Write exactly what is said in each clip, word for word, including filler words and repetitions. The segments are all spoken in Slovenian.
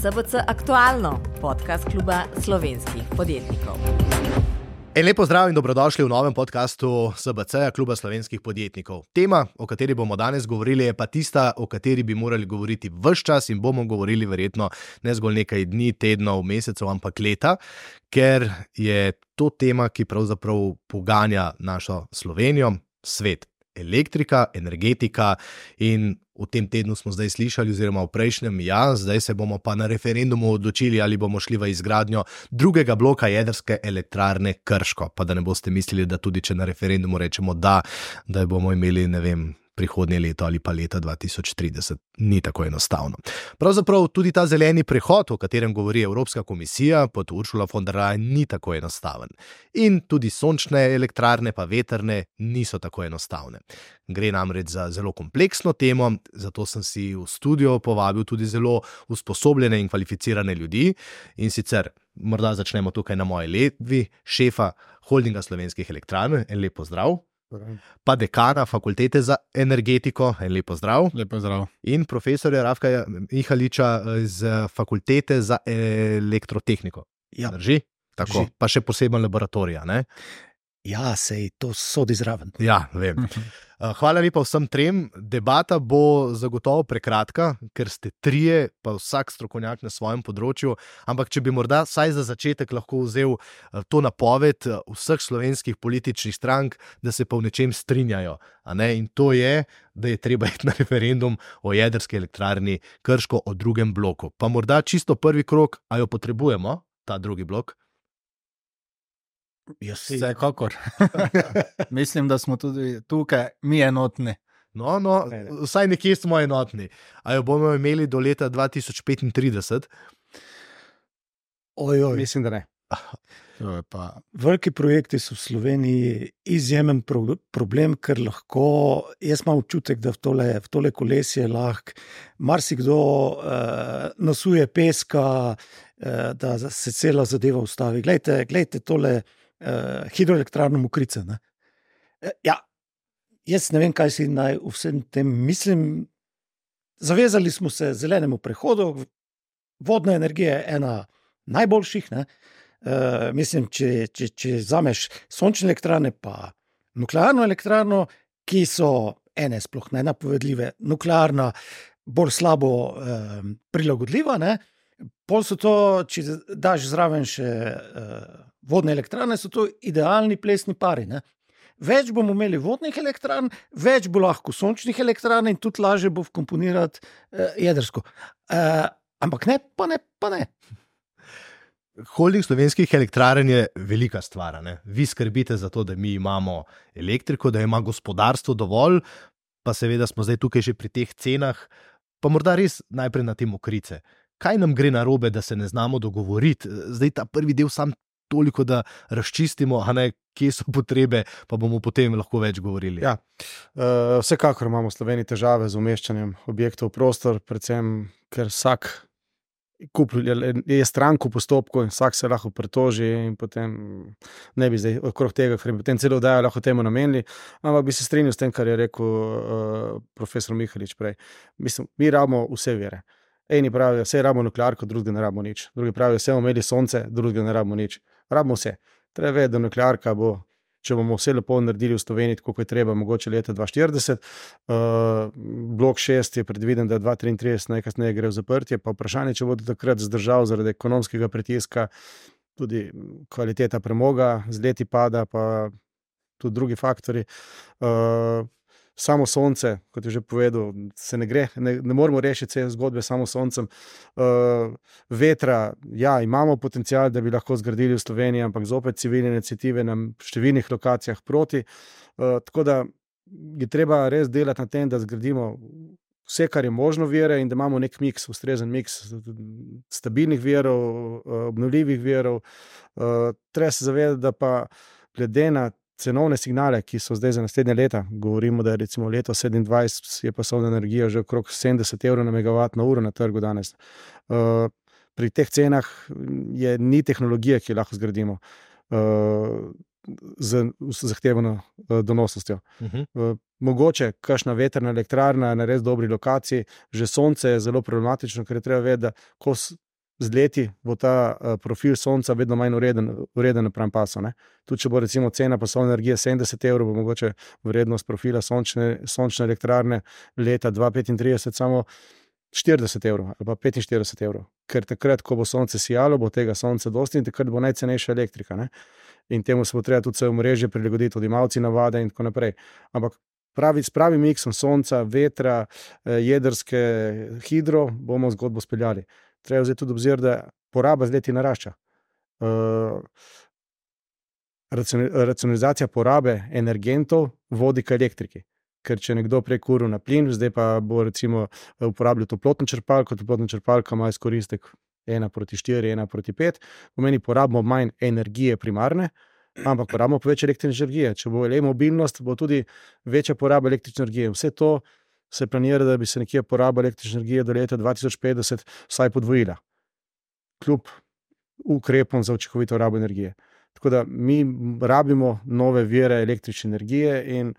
S B C Aktualno, podcast kluba slovenskih podjetnikov. En lepo zdrav in dobrodošli v novem podcastu S B C kluba slovenskih podjetnikov. Tema, o kateri bomo danes govorili, je pa tista, o kateri bi morali govoriti ves čas in bomo govorili verjetno ne zgolj nekaj dni, tednov, mesecev, ampak leta, ker je to tema, ki pravzaprav poganja našo Slovenijo, svet. Elektrika, energetika in v tem tednu smo zdaj slišali, oziroma v prejšnjem, ja, zdaj se bomo pa na referendumu odločili, ali bomo šli v izgradnjo drugega bloka jedrske elektrarne Krško. Pa da ne boste mislili, da tudi če na referendumu rečemo da, da bomo imeli, ne vem, prihodnje leto ali pa leta dva tisoč trideset. Ni tako enostavno. Pravzaprav tudi ta zeleni prehod, o katerem govori Evropska komisija pod Ursula von der Leyen, ni tako enostaven. In tudi sončne elektrarne pa vetrne niso tako enostavne. Gre namreč za zelo kompleksno temo, zato sem si v studio povabil tudi zelo usposobljene in kvalificirane ljudi. In sicer, morda začnemo tukaj na moji levi, šefa Holdinga slovenskih elektrarn, en lep pozdrav. Pa dekana fakultete za energetiko, en lep pozdrav. Lep pozdrav. In profesorja Rafka Mihaliča iz fakultete za elektrotehniko. Ja. Drži? Tako, Drži. pa še poseben laboratorija, ne? Ja, sej to sodi zraven. Ja, vem. Hvala lepa vsem trem. Debata bo zagotovo prekratka, ker ste trije, pa vsak strokovnjak na svojem področju, ampak če bi morda vsaj za začetek lahko vzel to napoved vseh slovenskih političnih strank, da se pa v nečem strinjajo. A ne? In to je, da je treba iti na referendum o jedrski elektrarni Krško o drugem bloku. Pa morda čisto prvi krog, a jo potrebujemo, ta drugi blok? Vsekakor. Mislim, da smo tudi tukaj mi enotni. No, no, vsaj nekje smo enotni. A jo bomo imeli do leta dva tisoč petintrideset? Oj, oj. Mislim, da ne. To je pa... Veliki projekti so v Sloveniji izjemen pro- problem, ker lahko, jaz imam občutek, da v tole, v tole kolesje lahko marsikdo uh, nasuje peska, uh, da se cela zadeva ustavi. Glejte, glejte tole uh, hidroelektrarno Mokrice. Ne? Uh, ja, jaz ne vem, kaj si naj v vsem tem mislim. Zavezali smo se zelenemu prehodu, vodna energija je ena najboljših, ne? Uh, mislim, če, če, če vzameš sončne elektrarne pa nuklearno elektrarno, ki so ene sploh nenapovedljive, nuklearna bolj slabo uh, prilagodljiva, ne? Pol so to, če daš zraven še uh, vodne elektrarne, so to idealni plesni pari, ne? Več bomo imeli vodnih elektrarn, več bo lahko sončnih elektrarn in tudi lažje bo vkomponirati uh, jedrsko. Uh, ampak ne, pa ne, pa ne. Holding slovenskih elektrarn je velika stvar, ne? Vi skrbite za to, da mi imamo elektriko, da ima gospodarstvo dovolj, pa seveda smo zdaj tukaj že pri teh cenah, pa morda res najprej na te Mokrice. Kaj nam gre narobe, da se ne znamo dogovoriti? Zdaj ta prvi del sam toliko, da razčistimo, a ne, kje so potrebe, pa bomo potem lahko več govorili. Ja, uh, vsekakor imamo v Sloveniji težave z umeščanjem objektov v prostor, predvsem, ker vsak je stranko v postopku in vsak se lahko pritoži in potem ne bi zdaj okrog tega, ker potem celo oddajo lahko temu namenili, ampak bi se strinjal s tem, kar je rekel uh, profesor Mihalič prej. Mislim, mi rabimo vse vire. Eni pravijo, vse rabimo nuklearko, drugi ne rabimo nič. Drugi pravijo, vse bomo imeli sonce, drugi ne rabimo nič. Rabimo vse. Treba vedeti, da nuklearka bo, če bomo vse lepo naredili v Sloveniji, tako kot je treba, mogoče leta dva štirideset. Uh, blok šest je predviden, da dva triintrideset najkasneje gre v zaprtje, pa vprašanje, če bodo takrat zdržal zaradi ekonomskega pritiska, tudi kvaliteta premoga z leti pada, pa tudi drugi faktori. Uh, samo sonce, kot je že povedal, se ne gre, ne, ne moremo rešiti vse zgodbe samo soncem. Uh, vetra, ja, imamo potencial, da bi lahko zgradili v Sloveniji, ampak zopet civilne iniciative na številnih lokacijah proti. Uh, tako da je treba res delati na tem, da zgradimo vse, kar je možno vire in da imamo nek miks, ustrezen miks stabilnih virov, obnovljivih virov. Uh, treba se zavedati, da pa glede na cenovne signale, ki so zdaj za naslednje leta, govorimo, da je recimo leto sedemindvajset je pasovna energija že okrog sedemdeset evrov na megavatno uro na trgu danes. Uh, pri teh cenah je ni tehnologije, ki lahko zgradimo. Uh, z zahtevano donosnostjo. Uh-huh. Mogoče kakšna vetrna elektrarna na res dobri lokaciji, že sonce je zelo problematično, ker je treba vedeti, da ko z leti bo ta uh, profil sonca vedno manj ureden, ureden napram pasu. Ne? Tudi če bo recimo cena pasovne energije sedemdeset evrov, bo mogoče vrednost profila sončne, sončne elektrarne leta dva tisoč petintrideset samo štirideset evrov ali pa petinštirideset evrov. Ker takrat, ko bo sonce sijalo, bo tega sonca dosti in takrat bo najcenejša elektrika. Ne? In temu se bo treba tudi vse omrežje prilagoditi, odjemalci navade in tako naprej. Ampak pravi, s pravim miksom sonca, vetra, jedrske, hidro bomo zgodbo speljali. Treba vzeti tudi obzir, da poraba z leti narašča. Uh, racionalizacija porabe energentov vodi k elektriki. Ker če nekdo prej kuril na plin, zdaj pa bo recimo uporabljal toplotno črpalko, toplotna črpalka ima izkoristek ena proti štiri, ena proti pet, pomeni porabimo manj energije primarne, ampak porabimo pa več električne energije. Če bo le mobilnost, bo tudi večja poraba električne energije. Vse to se planira, da bi se nekje poraba električne energije do leta dva tisoč petdeset vsaj podvojila. Kljub ukrepom za učinkovito rabo energije. Tako da mi rabimo nove vire električne energije in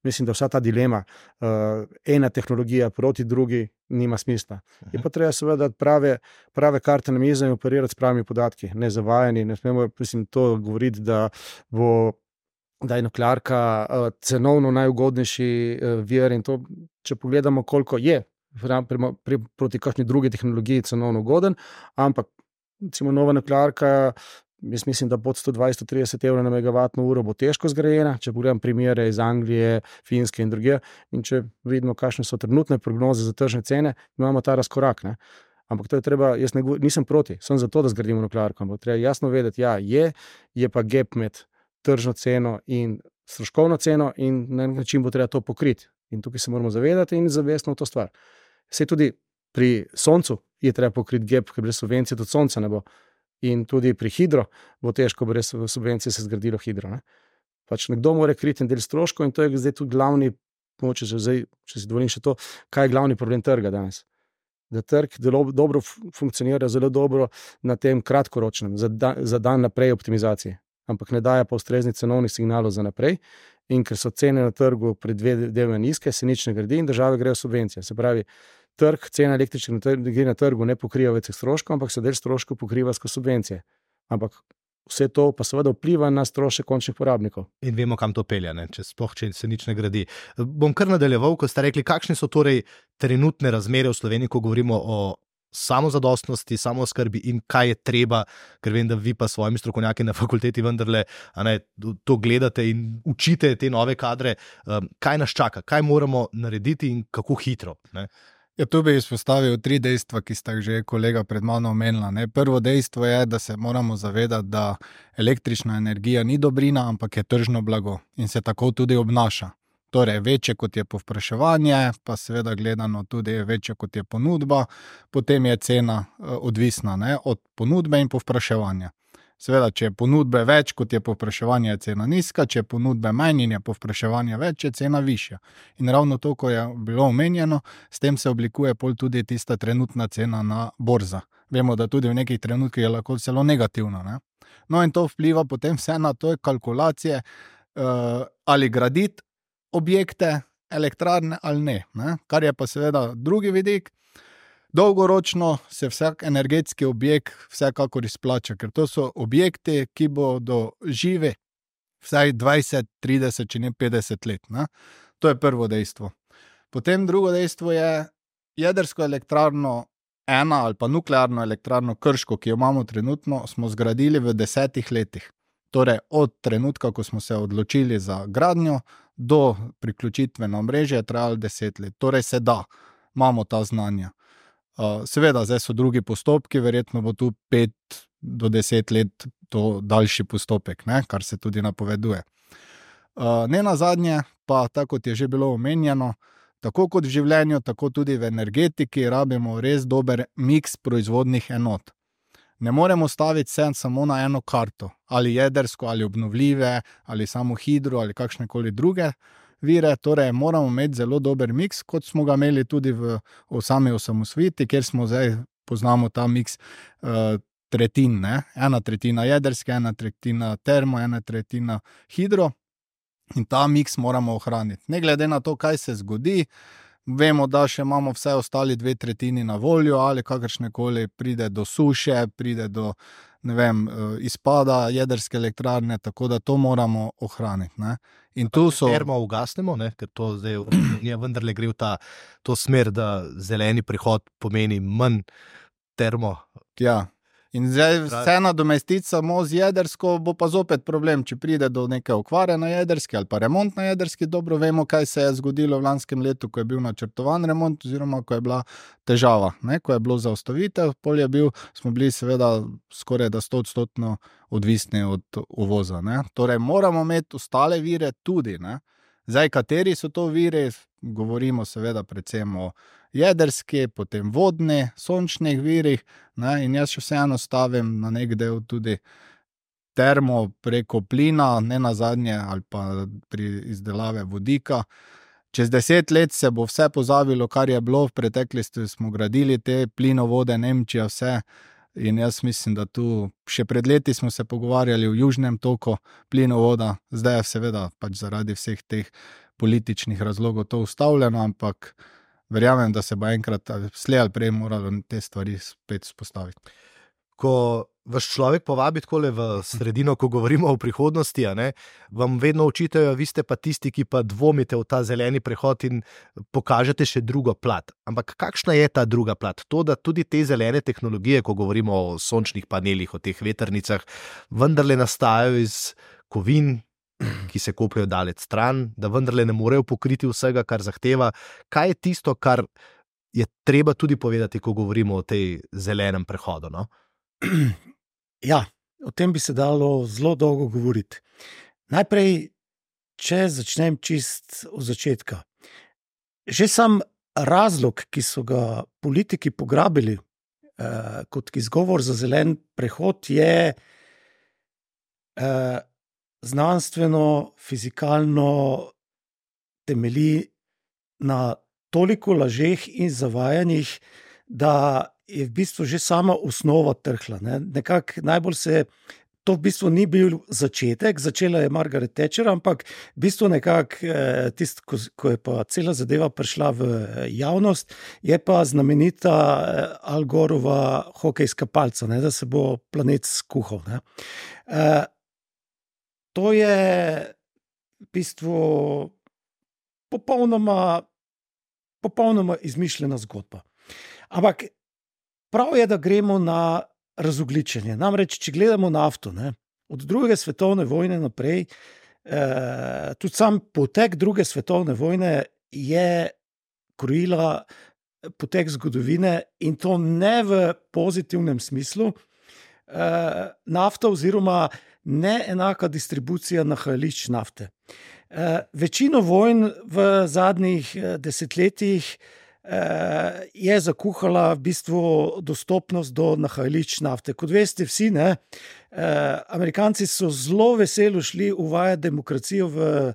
mislim, da vsa ta dilema, uh, ena tehnologija proti drugi, nima smisla. Je pa treba seveda prave, prave karte na mizo in operirati s pravimi podatki, ne zavajani. Ne smemo, mislim, to govoriti, da bo da je nuklearka uh, cenovno najugodnejši uh, vir in to, če pogledamo, koliko je pri, pri, proti kakšni drugi tehnologiji cenovno ugoden, ampak recimo nova nuklearka, jaz mislim, da pod sto dvajset do trideset evrov na megavatno uro bo težko zgrajena, če pogledam primere iz Anglije, Finske in drugje, in če vidimo, kakšne so trenutne prognoze za tržne cene, imamo ta razkorak. Ne? Ampak to je treba, jaz ne, nisem proti, sem za to, da zgradimo nuklearko, ampak treba jasno vedeti, ja, je, je pa gap med tržno ceno in stroškovno ceno in na nek način bo treba to pokriti. In tukaj se moramo zavedati in zavestno v to stvar. Sej tudi pri soncu je treba pokriti gap, ker brez subvencije tudi sonca ne bo. In tudi pri hidro bo težko brez subvencije se zgradilo hidro. Ne? Pač nekdo mora kriti en del stroškov in to je zdaj tudi glavni, če, zdaj, če si dovolim še to, kaj je glavni problem trga danes. Da trg delo, dobro funkcionira, zelo dobro na tem kratkoročnem, za, da, za dan naprej optimizacije, ampak ne daje pa ustrezni cenovnih signalov za naprej in ker so cene na trgu predvidevno nizke, se nič ne gradi in države grejo subvencije. Se pravi, trg, cena električne energije na trgu ne pokriva več stroškov, ampak se del stroškov pokriva skozi subvencije. Ampak vse to pa seveda vpliva na strošek končnih porabnikov. In vemo, kam to pelje, ne? Če sploh če se nič ne gradi. Bom kar nadaljeval, ko ste rekli, kakšne so torej trenutne razmere v Sloveniji, ko govorimo o samozadostnosti, samooskrbi in kaj je treba, ker vem, da vi pa s svojimi strokovnjaki na fakulteti vendarle a ne, to gledate in učite te nove kadre. Kaj nas čaka, kaj moramo narediti in kako hitro? Ne? Ja, tu bi izpostavil tri dejstva, ki sta že kolega pred mano omenila. Ne. Prvo dejstvo je, da se moramo zavedati, da električna energija ni dobrina, ampak je tržno blago in se tako tudi obnaša. Torej, večje kot je povpraševanje, pa seveda gledano tudi večje kot je ponudba, potem je cena odvisna, ne, od ponudbe in povpraševanja. Seveda, če je ponudbe več, kot je povpraševanje, je cena nizka, če je ponudbe manj in je povpraševanje več, je cena višja. In ravno to, ko je bilo omenjeno, s tem se oblikuje pol tudi tista trenutna cena na borza. Vemo, da tudi v nekih trenutkih je lahko celo negativna. Ne? No in to vpliva potem vse na to kalkulacije, uh, ali graditi objekte, elektrarne ali ne, ne. Kar je pa seveda drugi vidik. Dolgoročno se vsak energetski objekt vsekakor izplača, ker to so objekti, ki bodo živi vsaj dvajset, trideset, če ne petdeset let. Ne. To je prvo dejstvo. Potem drugo dejstvo je jedrsko elektrarno ena ali pa nuklearno elektrarno Krško, ki jo imamo trenutno, smo zgradili v desetih letih. Torej od trenutka, ko smo se odločili za gradnjo, do priključitve na omrežje je trajalo deset let. Torej se da, imamo ta znanja. Uh, seveda, zdaj so drugi postopki, verjetno bo tu pet do deset let to daljši postopek, ne, kar se tudi napoveduje. Uh, ne nazadnje pa, tako kot je že bilo omenjeno, tako kot v življenju, tako tudi v energetiki rabimo res dober miks proizvodnih enot. Ne moremo staviti se samo na eno karto, ali jedrsko, ali obnovljive, ali samo hidro, ali kakšnekoli druge vire, torej moramo imeti zelo dober miks, kot smo ga imeli tudi v, v sami osamosvojitvi, kjer smo zdaj poznamo ta miks uh, tretjin, ne? Ena tretjina jedrske, ena tretjina termo, ena tretjina hidro in ta miks moramo ohraniti. Ne glede na to, kaj se zgodi, Vemo, da še imamo vse ostali dve tretjini na voljo, ali kakršne koli pride do suše, pride do ne vem, izpada jedrske elektrarne, tako da to moramo ohraniti. Ne? In tu so... Termo ugasnemo, ne? Ker to zdaj je vendarle gre v ta, to smer, da zeleni prihod pomeni manj termo. Ja. In zdaj vse nadomestiti samo z jedrsko, bo pa zopet problem, če pride do neke okvare na jedrski ali pa remont na jedrski. Dobro vemo, kaj se je zgodilo v lanskem letu, ko je bil načrtovan remont oziroma ko je bila težava, ne? Ko je bilo zaustavitev, pol je bil, smo bili seveda skoraj da sto odstotno odvisni od uvoza. Ne? Torej moramo imeti ostale vire tudi. Ne? Zdaj, kateri so to viri, govorimo seveda predvsem o jedrski, potem vodni, sončnih virih, ne? In jaz še vseeno stavim na nek del tudi termo preko plina, ne nazadnje, ali pa pri izdelave vodika. Čez deset let se bo vse pozabilo, kar je bilo, v preteklosti smo gradili te plinovode, Nemčija, vse. In jaz mislim, da tu še pred leti smo se pogovarjali o južnem toku plinovoda, zdaj je seveda pač zaradi vseh teh političnih razlogov to ustavljeno, ampak verjamem, da se bo enkrat slej ali prej moralo te stvari spet spostaviti. Ko vas človek povabi takole v sredino, ko govorimo o prihodnosti, a ne, vam vedno očitajo, vi ste pa tisti, ki pa dvomite v ta zeleni prehod in pokažete še drugo plat. Ampak kakšna je ta druga plat? To, da tudi te zelene tehnologije, ko govorimo o sončnih panelih, o teh vetrnicah, vendarle nastajajo iz kovin, ki se kopljejo daleč stran, da vendarle ne morejo pokriti vsega, kar zahteva. Kaj je tisto, kar je treba tudi povedati, ko govorimo o tej zelenem prehodu, no? Ja, o tem bi se dalo zelo dolgo govoriti. Najprej, če začnem čist od začetka. Že sam razlog, ki so ga politiki pograbili eh, kot izgovor za zelen prehod, je eh, znanstveno, fizikalno temelji na toliko lažeh in zavajanjih, da je v bistvu že sama osnova trhla. Ne? Nekako najbolj se, to v bistvu ni bil začetek, začela je Margaret Thatcher, ampak v bistvu nekako eh, tist, ko, ko je pa cela zadeva prišla v javnost, je pa znamenita eh, Al Gorova hokejska palca, ne? Da se bo planet skuhal. Ne? Eh, to je v bistvu popolnoma, popolnoma izmišljena zgodba. Ampak prav je, da gremo na razogljičenje. Namreč, če gledamo nafto, ne, od druge svetovne vojne naprej, eh, tudi sam potek druge svetovne vojne je krojila potek zgodovine in to ne v pozitivnem smislu. Eh, nafta oziroma neenaka distribucija nahajališč nafte. Eh, večino vojn v zadnjih desetletjih je zakuhala v bistvu dostopnost do nahajališč nafte. Kot veste vsi, ne, Amerikanci so zelo veselo šli uvajati demokracijo v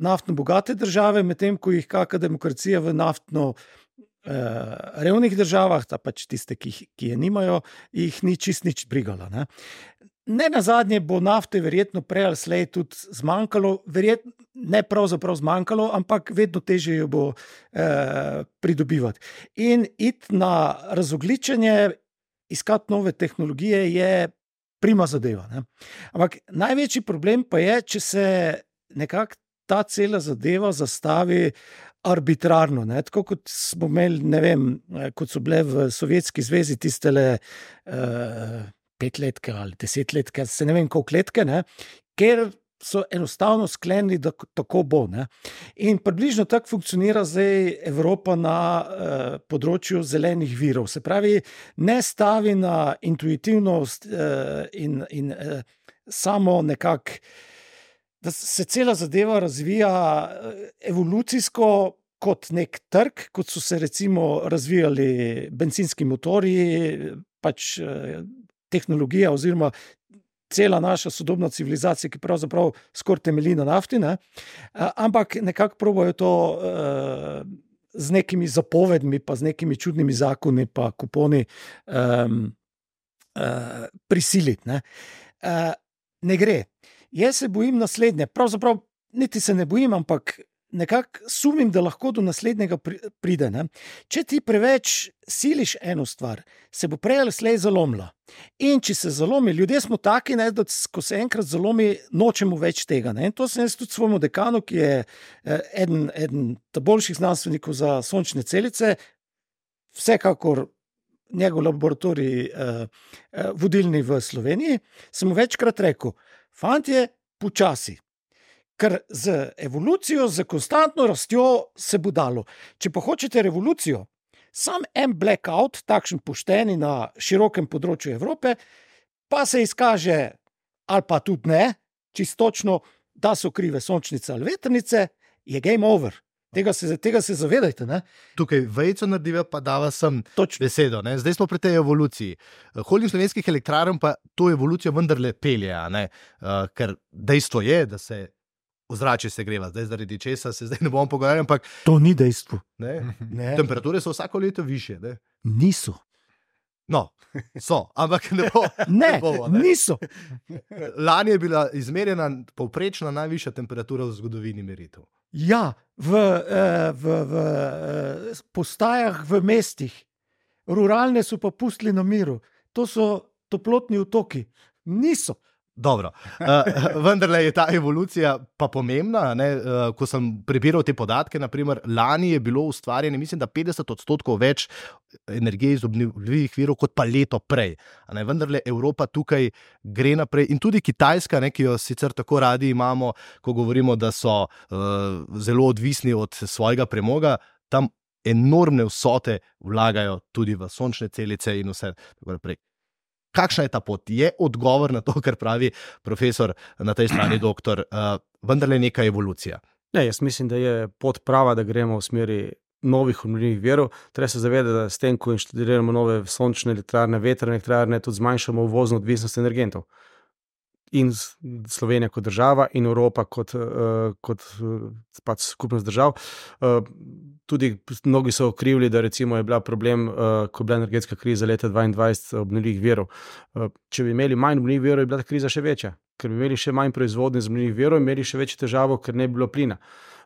naftno bogate države, medtem ko jih kakšna demokracija v naftno revnih državah, ta pač tiste, ki, ki je nimajo, jih ni čist nič brigala. Ne. Ne nazadnje bo nafte verjetno prej ali slej tudi zmanjkalo, verjetno ne pravzaprav zmanjkalo, ampak vedno težje jo bo eh, pridobivati. In iti na razogljičenje, iskati nove tehnologije je prima zadeva. Ne? Ampak največji problem pa je, če se nekako ta cela zadeva zastavi arbitrarno, ne? Tako kot smo imeli, ne vem, kot so bile v Sovjetski zvezi tistele eh, petletke ali desetletke, se ne vem koliko letke, ne? Ker so enostavno sklenili, da tako bo. Ne? In približno tako funkcionira zdaj Evropa na eh, področju zelenih virov. Se pravi, ne stavi na intuitivnost eh, in, in eh, samo nekako, da se cela zadeva razvija evolucijsko kot nek trg, kot so se recimo razvijali bencinski motorji, pač eh, tehnologija oziroma cela naša sodobna civilizacija, ki pravzaprav skoraj temelji na nafti, ne? Ampak nekako probajo to uh, z nekimi zapovedmi, pa z nekimi čudnimi zakoni, pa kuponi um, uh, prisiliti. Ne? Uh, ne gre. Jaz se bojim naslednje, pravzaprav niti se ne bojim, ampak nekako sumim, da lahko do naslednjega pride. Ne? Če ti preveč siliš eno stvar, se bo prej ali slej zalomila. In če se zalomi, ljudje smo taki, ne, da ko se enkrat zalomi, nočemo več tega. Ne? In to sem jaz tudi svojemu dekanu, ki je eden, eden boljših znanstvenikov za sončne celice, vsekakor njegov laboratorij eh, eh, vodilni v Sloveniji, sem mu večkrat rekel, fantje, počasi. Ker z evolucijo, z konstantno rastjo se bo dalo. Če pa hočete revolucijo, sam en blackout, takšen pošteni na širokem področju Evrope, pa se izkaže, ali pa tudi ne, čistočno, da so krive sončnice ali vetrnice, je game over. Tega se, tega se zavedajte. Ne? Tukaj vejco narediva, pa dava sem Točno. besedo. Ne? Zdaj smo pri tej evoluciji. Holding slovenskih elektrarn pa to evolucijo vendarle pelje, uh, ker dejstvo je, da se ozračje segreva. Zdaj zaradi česa se zdaj ne bomo pogovarjali, ampak to ni dejstvo. Ne? Ne. Temperature so vsako leto više. Ne? Niso. No, so, ampak ne bo. Ne, ne bomo, ne? niso. Lani je bila izmerjena povprečna najvišja temperatura v zgodovini meritev. Ja, v, v, v postajah v mestih, ruralne so pa pustili na miru. To so toplotni otoki. Niso. Dobro, uh, vendarle je ta evolucija pa pomembna. Ne? Uh, ko sem prebiral te podatke, naprimer, lani je bilo ustvarjeno, mislim, da petdeset odstotkov več energije iz obnovljivih virov kot pa leto prej. Ne? Vendarle Evropa tukaj gre naprej in tudi Kitajska, ne, ki jo sicer tako radi imamo, ko govorimo, da so uh, zelo odvisni od svojega premoga, tam enormne vsote vlagajo tudi v sončne celice in vse tako naprej. Kakšna je ta pot? Je odgovor na to, kar pravi profesor na tej strani, doktor, uh, vendarle neka evolucija? Ne, jaz mislim, da je pot prava, da gremo v smeri novih obnovljivih virov. Treba se zavedati, da s tem, ko inštaliramo nove sončne elektrarne, vetrne elektrarne, tudi zmanjšamo uvozno odvisnost energentov. In Slovenija kot država in Evropa kot, uh, kot uh, pač skupnost držav. Uh, tudi mnogi so okrivili, da recimo je bila problem, uh, ko je bila energetska kriza leta dvaindvajset obnovljivih virov. Uh, če bi imeli manj obnovljivih virov, je bila ta kriza še večja. Ker bi imeli še manj proizvodnje z obnovljivih virov, imeli še večjo težavo, ker ne bi bilo plina.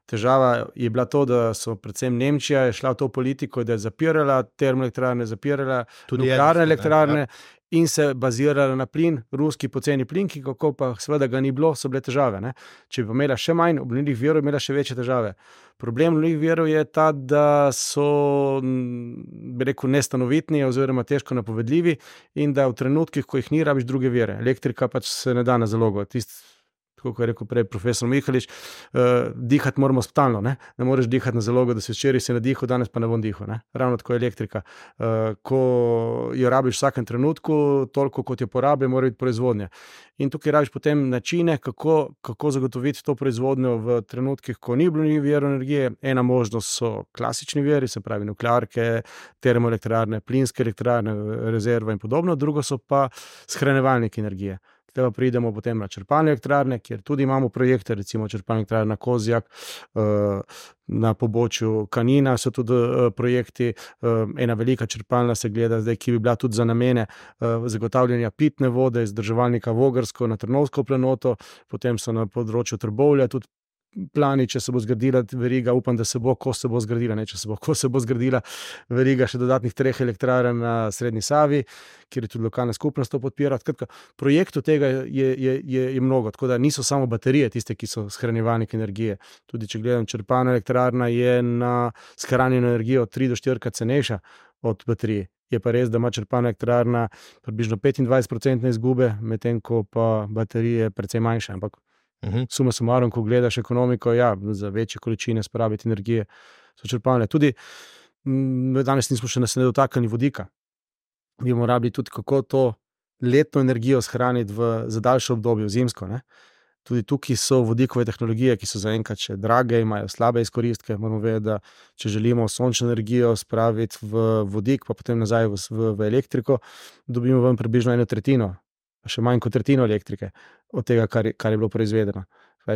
Težava je bila to, da so predvsem Nemčija je šla v to politiko, da je zapirala termoelektrarne, zapirala tudi nuklearne elektrarne, ja. In se bazirala na plin, ruski poceni plin, ki kako pa seveda ga ni bilo, so bile težave. Ne? Če bi imela še manj obnovljivih virov, imela še večje težave. Problem obnovljivih virov je ta, da so, bi rekel, nestanovitni oziroma težko napovedljivi in da v trenutkih, ko jih ni, rabiš druge vire. Elektrika pač se ne da na zalogo. Tist, kot je rekel prej profesor Mihalič, uh, dihati moramo stalno, ne? Ne moreš dihati na zalogo, da si včeraj si nadihal, danes pa ne bom dihal. Ne? Ravno tako je elektrika. Uh, ko jo rabiš v vsakem trenutku, toliko kot jo porabi, mora biti proizvodnja. In tukaj rabiš potem načine, kako, kako zagotoviti to proizvodnjo v trenutkih, ko ni obnovljivih virov energije. Ena možnost so klasični viri, se pravi nuklearke, termoelektrarne, plinske elektrarne, rezerva in podobno, drugo so pa shranjevalniki energije. Tega pridemo potem na črpalne elektrarne, kjer tudi imamo projekte, recimo črpalne elektrarne na Kozjak, na pobočju Kanina so tudi projekti, ena velika črpalna se gleda zdaj, ki bi bila tudi za namene zagotavljanja pitne vode iz vzdrževalnika Vogrsko na Trnovsko planoto, potem so na področju Trbovlja tudi plani, če se bo zgradila veriga, upam, da se bo, ko se bo zgradila, ne, če se bo, ko se bo zgradila veriga še dodatnih treh elektrarn na Srednji Savi, kjer je tudi lokalna skupnost to podpira. Skratka, projektov tega je, je, je, je mnogo, tako da niso samo baterije tiste, ki so shranjevalnik energije. Tudi če gledam, črpalna elektrarna je na shranjeno energijo tri do štirikrat cenejša od baterije. Je pa res, da ima črpalna elektrarna približno petindvajset procentov izgube, medtem ko pa baterije precej manjša, ampak Uhum. Suma sumarum, ko gledaš ekonomiko, ja, za večje količine spraviti energije so črpalne. Tudi m, danes nismo še nas ne dotaknili vodika. Bi morali tudi kako to letno energijo shraniti v, za daljše obdobje, v zimsko. Ne? Tudi tukaj so vodikove tehnologije, ki so zaenkrat še drage, imajo slabe izkoristke. Moramo vedeti, da če želimo sončno energijo spraviti v vodik, pa potem nazaj v, v, v elektriko, dobimo ven približno eno tretjino, še manj kot tretjino elektrike od tega, kar je, kar je bilo proizvedeno.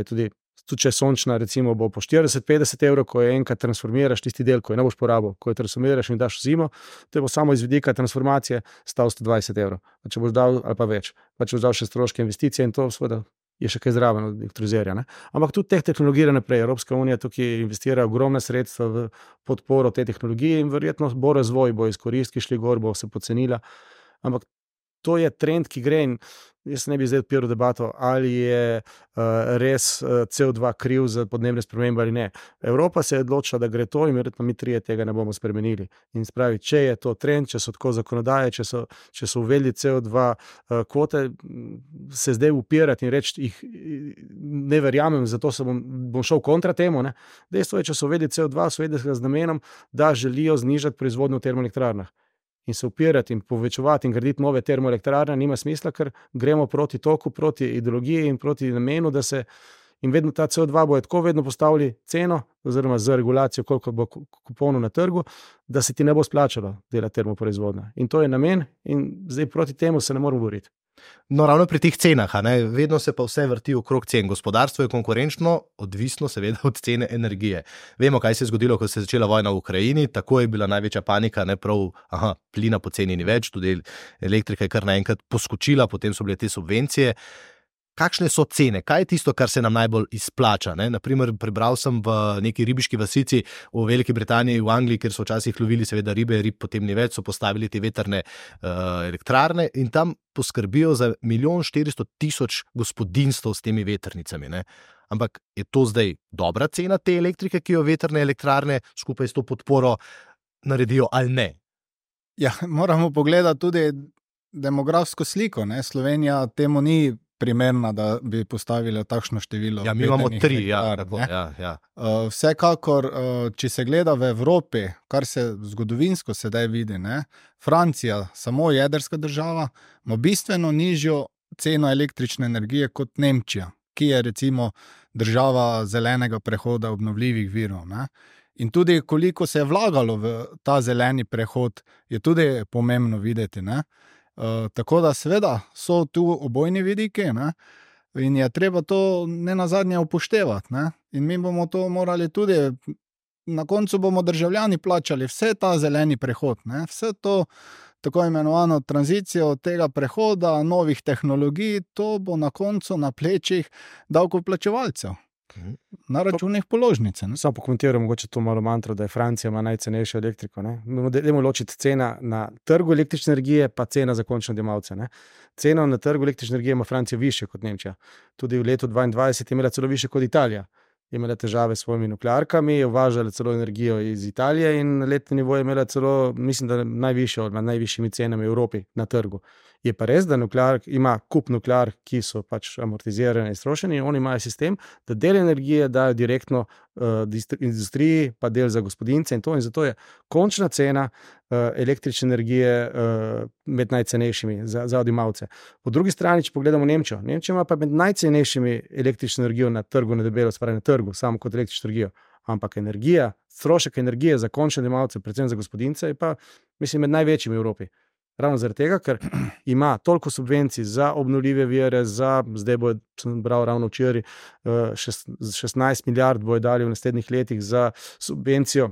Tudi, tudi če je sončna, recimo, bo po štirideset do petdeset evrov, ko je enkrat transformiraš tisti del, ko je ne boš porabil, ko jo transformiraš in daš v zimo, to bo samo iz vidika transformacije stal sto dvajset evrov. Pa če boš dal, ali pa več, pa če boš dal še stroške investicije in to seveda je še kaj zraven od elektrolizerja. Ne? Ampak tudi teh tehnologij naprej. Evropska unija tukaj investira ogromna sredstva v podporo te tehnologije in verjetno bo razvoj, bo izkoristki šli gor, bo se pocenila. Ampak to je trend, ki gre in jaz ne bi zdaj odpiral debato, ali je uh, res uh, C O dva kriv za podnebne spremembe ali ne. Evropa se je odločila, da gre to in verjetno mi trije tega ne bomo spremenili. In spravi, če je to trend, če so tako zakonodaje, če so, če so uvedli C O dva uh, kvote, se zdaj upirati in reči, jih ne verjamem, zato se bom, bom šel kontra temu. Ne? Dejstvo je, če so uvedli C O dva, so uvedli z namenom, da želijo znižati proizvodnjo v termoelektrarnah. In se upirati in povečevati in graditi nove termoelektrarne nima smisla, ker gremo proti toku, proti ideologiji in proti namenu, da se in vedno ta C O dva bojo tako vedno postavili ceno oziroma z regulacijo, koliko bo kuponov na trgu, da se ti ne bo splačalo delati termoproizvodnja. In to je namen in zdaj proti temu se ne moramo boriti. No, ravno pri teh cenah, a ne, vedno se pa vse vrti okrog cen. Gospodarstvo je konkurenčno, odvisno seveda od cene energije. Vemo, kaj se je zgodilo, ko se je začela vojna v Ukrajini, tako je bila največja panika, ne prav, aha, plina poceni ni več, tudi elektrika je kar naenkrat poskočila, potem so bile te subvencije. Kakšne so cene? Kaj je tisto, kar se nam najbolj izplača? Ne? Naprimer, prebral sem v neki ribiški vasici v Veliki Britaniji, v Angliji, kjer so včasih lovili seveda ribe, rib potem ni več, so postavili te vetrne uh, elektrarne in tam poskrbijo za milijon štiristo tisoč gospodinstv s temi vetrnicami. Ne? Ampak je to zdaj dobra cena te elektrike, ki jo vetrne elektrarne skupaj s to podporo naredijo ali ne? Ja, moramo pogledati tudi demografsko sliko. Ne? Slovenija temu ni primerna, da bi postavili takšno število. Ja, mi imamo tri, ja, tako, ja, ja. Uh, vsekakor, uh, če se gleda v Evropi, kar se zgodovinsko sedaj vidi, ne, Francija, samo jedrska država, ima bistveno nižjo ceno električne energije kot Nemčija, ki je recimo država zelenega prehoda obnovljivih virov. Ne. In tudi koliko se je vlagalo v ta zeleni prehod, je tudi pomembno videti, ne. Uh, tako da seveda so tu obojni vidiki, ne? In je treba to ne nazadnje upoštevati. Ne? In mi bomo to morali tudi, na koncu bomo državljani plačali vse ta zeleni prehod, ne? Vse to tako imenovano tranzicijo tega prehoda, novih tehnologij, to bo na koncu na plečih davkoplačevalcev. Na računih položnice. Samo pokomentiram mogoče to malo mantro, da je Francija ima najcenejšo elektriko. Ne? Dajmo ločiti cena na trgu električne energije pa cena za končne odjemalce. Ne? Cena na trgu električne energije ima Francija više kot Nemčija. Tudi v letu dvaindvajset je imela celo više kot Italija. Je imela težave s svojimi nuklearkami, je uvažala celo energijo iz Italije in na letni nivo je imela celo, mislim, da najvišjo, med najvišjimi cenami v Evropi na trgu. Je pa res, da nuklear ima kup nuklear, ki so pač amortizirane in strošeni in oni imajo sistem, da del energije dajo direktno uh, industriji, pa del za gospodince in to. In zato je končna cena uh, električne energije uh, med najcenejšimi za, za odjemalce. Po drugi strani, če pogledamo Nemčijo, Nemčija ima pa med najcenejšimi električno energijo na trgu, na debelo, spravi na trgu, samo kot električno energijo. Ampak energija, strošek energije za končne odjemalce, predvsem za gospodince, je pa, mislim, med največjimi v Evropi. Ravno zaradi tega, ker ima toliko subvencij za obnovljive vire, za, zdaj bo, sem bral ravno včeraj, šestnajst milijard bojo dali v naslednjih letih za subvencijo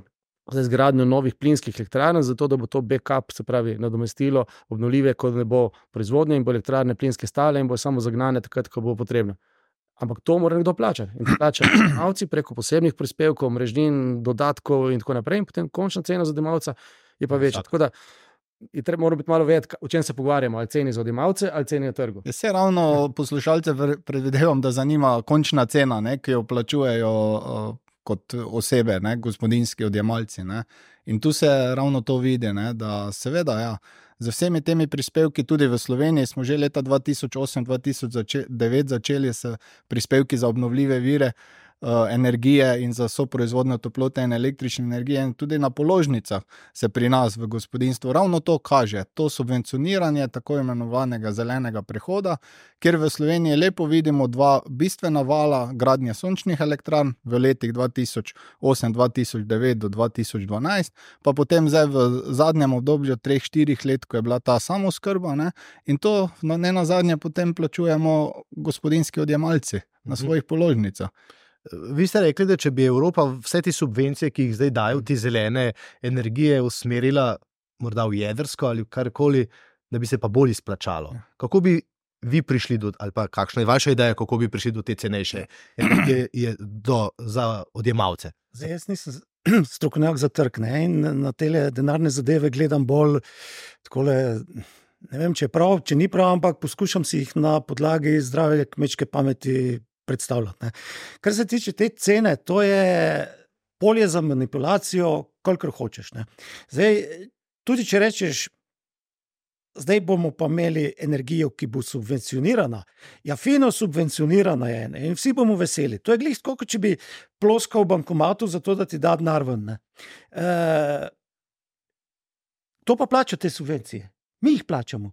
za izgradnjo novih plinskih elektrarn, zato da bo to backup, se pravi nadomestilo obnovljive, ko ne bo proizvodnje in bo elektrarne plinske stale in bo samo zagnane takrat, ko bo potrebno. Ampak to mora nekdo plačati. In plačajo odjemalci preko posebnih prispevkov, mrežnin, dodatkov in tako naprej. In potem končna cena za odjemalca je pa večja. Tako da je treba moramo biti malo vedeti, o čem se pogovarjamo, ali ceni za odjemalce ali ceni na trgu. Se ravno poslušalce predvidevam, da zanima končna cena, ne, ki jo plačujejo uh, kot osebe, ne, gospodinjski odjemalci. Ne. In tu se ravno to vidi, ne, da seveda, ja, z vsemi temi prispevki tudi v Sloveniji smo že leta dva tisoč osem dva tisoč devet začeli s prispevki za obnovljive vire energije in za soproizvodnjo toplote in električne energije in tudi na položnicah se pri nas v gospodinjstvu ravno to kaže, to subvencioniranje tako imenovanega zelenega prehoda, kjer v Sloveniji lepo vidimo dva bistvena vala gradnje sončnih elektrarn v letih dva tisoč osem dva tisoč devet do dva tisoč dvanajst, pa potem zdaj v zadnjem obdobju treh, štirih let, ko je bila ta samooskrba, ne, in to ne nazadnje potem plačujemo gospodinjski odjemalci na svojih položnicah. Vi ste rekli, da če bi Evropa vse te subvencije, ki jih zdaj dajo v te zelene energije, usmerila morda v jedrsko ali karkoli, da bi se pa bolj izplačalo. Kako bi vi prišli do, ali pa kakšna je vaša ideja, kako bi prišli do te cenejše energije je do, za odjemalce? Zdaj, jaz nisem strokovnjak za trg, ne, in na tele denarne zadeve gledam bolj takole, ne vem, če je prav, če ni prav, ampak poskušam si jih na podlagi zdrave kmečke pameti predstavljati. Ne. Kar se tiče te cene, to je polje za manipulacijo, kolikor hočeš. Ne. Zdaj, tudi če rečeš, zdaj bomo pa imeli energijo, ki bo subvencionirana. Ja, fino subvencionirana je, ne? In vsi bomo veseli. To je glih tako, kot če bi ploskal v bankomatu za to, da ti da denar ven. Ne? E, to pa plača te subvencije. Mi jih plačamo.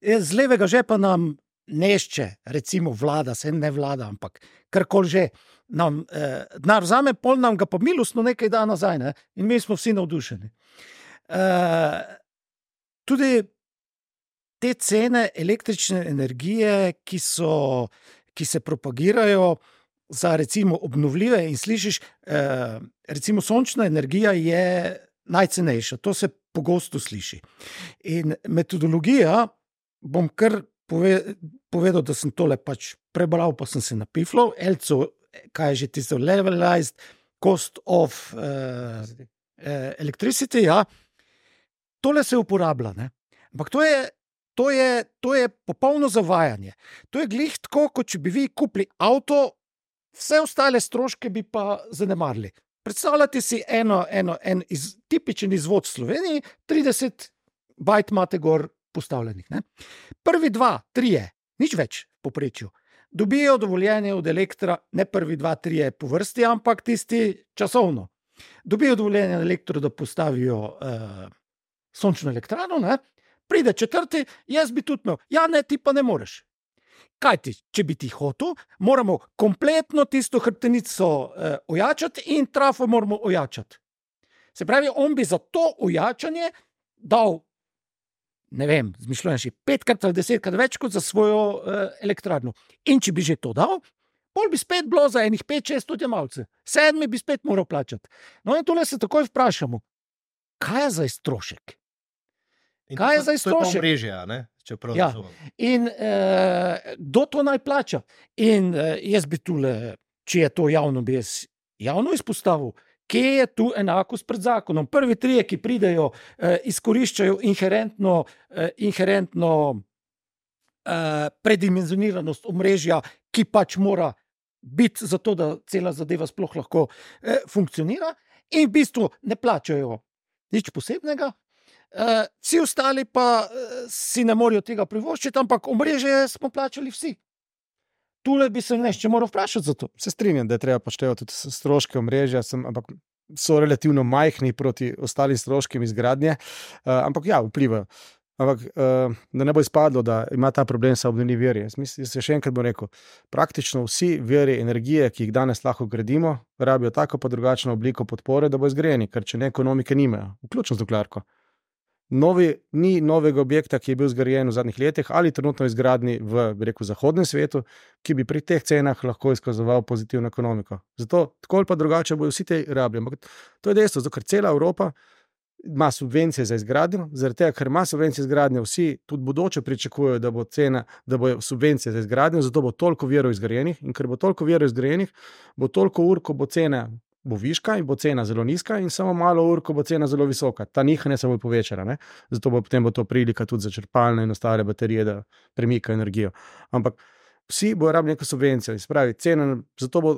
E, z levega žepa nam nešče, recimo vlada, se ne vlada, ampak karkoli že, nam eh, denar vzame, pol nam ga pa milostno nekaj da nazaj, ne? In mi smo vsi navdušeni. E, tudi te cene električne energije, ki, so, ki se propagirajo za recimo obnovljive in slišiš, eh, recimo sončna energija je najcenejša, to se pogosto sliši. In metodologija, bom kar pove, povedal, da sem tole pač prebral, pa sem se napiflal, Elco, kaj je že tisto levelized cost of eh, eh, electricity, ja, tole se uporablja, ne? Ampak to je To je, to je popolno zavajanje. To je glih tako, kot če bi vi kupili avto, vse ostale stroške bi pa zanemarili. Predstavljate si eno, eno, en iz, tipičen izvod v Sloveniji, trideset bajt imate gor postavljenih. Ne? Prvi dva, trije, nič več v povprečju, dobijo dovoljenje od Elektra, ne prvi dva, trije po vrsti, ampak tisti časovno. Dobijo dovoljenje od Elektra, da postavijo uh, sončno elektrarno, ne? Pride četrti, jaz bi tudi imel. Ja, ne, ti pa ne moreš. Kaj ti, če bi ti hotel, moramo kompletno tisto hrbtenico eh, ojačati in trafo moramo ojačati. Se pravi, on bi za to ojačanje dal, ne vem, zmišljujem še petkrat ali desetkrat več kot za svojo eh, elektrarno. In če bi že to dal, pol bi spet bilo za enih pet, šest odjemalcev. Sedmi bi spet moral plačati. No in tole se takoj vprašamo, kaj je za strošek? In kaj je to, zdaj strošek? To je pa omrežje, ne? Če prav Ja. razumem. In eh, kdo to naj plača? In eh, jaz bi tule, če je to javno, bi jaz javno izpostavil, kje je tu enakost pred zakonom. Prvi trije, ki pridejo, eh, izkoriščajo inherentno, eh, inherentno eh, predimenzioniranost omrežja, ki pač mora biti zato, da cela zadeva sploh lahko eh, funkcionira, in v bistvu ne plačajo nič posebnega. Uh, vsi ostali pa uh, si ne morajo tega privoščiti, ampak omrežje smo plačali vsi. Tule bi se nešče moral vprašati za to. Se strinjam, da je treba poštevati tudi stroške omrežja, sem, ampak so relativno majhni proti ostalim stroškem izgradnje, uh, ampak ja, vplivajo. Ampak uh, da ne bo izpadlo, da ima ta problem sa obnovljivi viri. Jaz mislim, jaz še enkrat bom rekel, praktično vsi viri energije, ki jih danes lahko gradimo, rabijo tako pa drugačno obliko podpore, da bo izgrajeni, ker če ne ekonomike nimajo, vključno z nuklearko. Novi, ni novega objekta, ki je bil zgrajen v zadnjih letih ali trenutno izgradni v, bi rekel, zahodnem svetu, ki bi pri teh cenah lahko izkazoval pozitivno ekonomiko. Zato tako ali pa drugače bojo vsi te rabili. Ampak to je dejstvo, zato ker cela Evropa ima subvencije za izgradnjo, zaradi tega, ker ima subvencije za izgradnjo, vsi tudi bodoče pričakujejo, da bo cena, da bo subvencije za izgradnjo, zato bo toliko virov izgrajenih, in ker bo toliko virov izgrajenih, bo toliko ur, ko bo cena bo viška in bo cena zelo nizka, in samo malo ur, ko bo cena zelo visoka. Ta nihanja se bo povečala, ne? Zato bo potem bo to prilika tudi za črpalne in ostale baterije, da premikajo energijo. Ampak vsi bojo rabili neko subvencijo, spravi, cena, zato bo,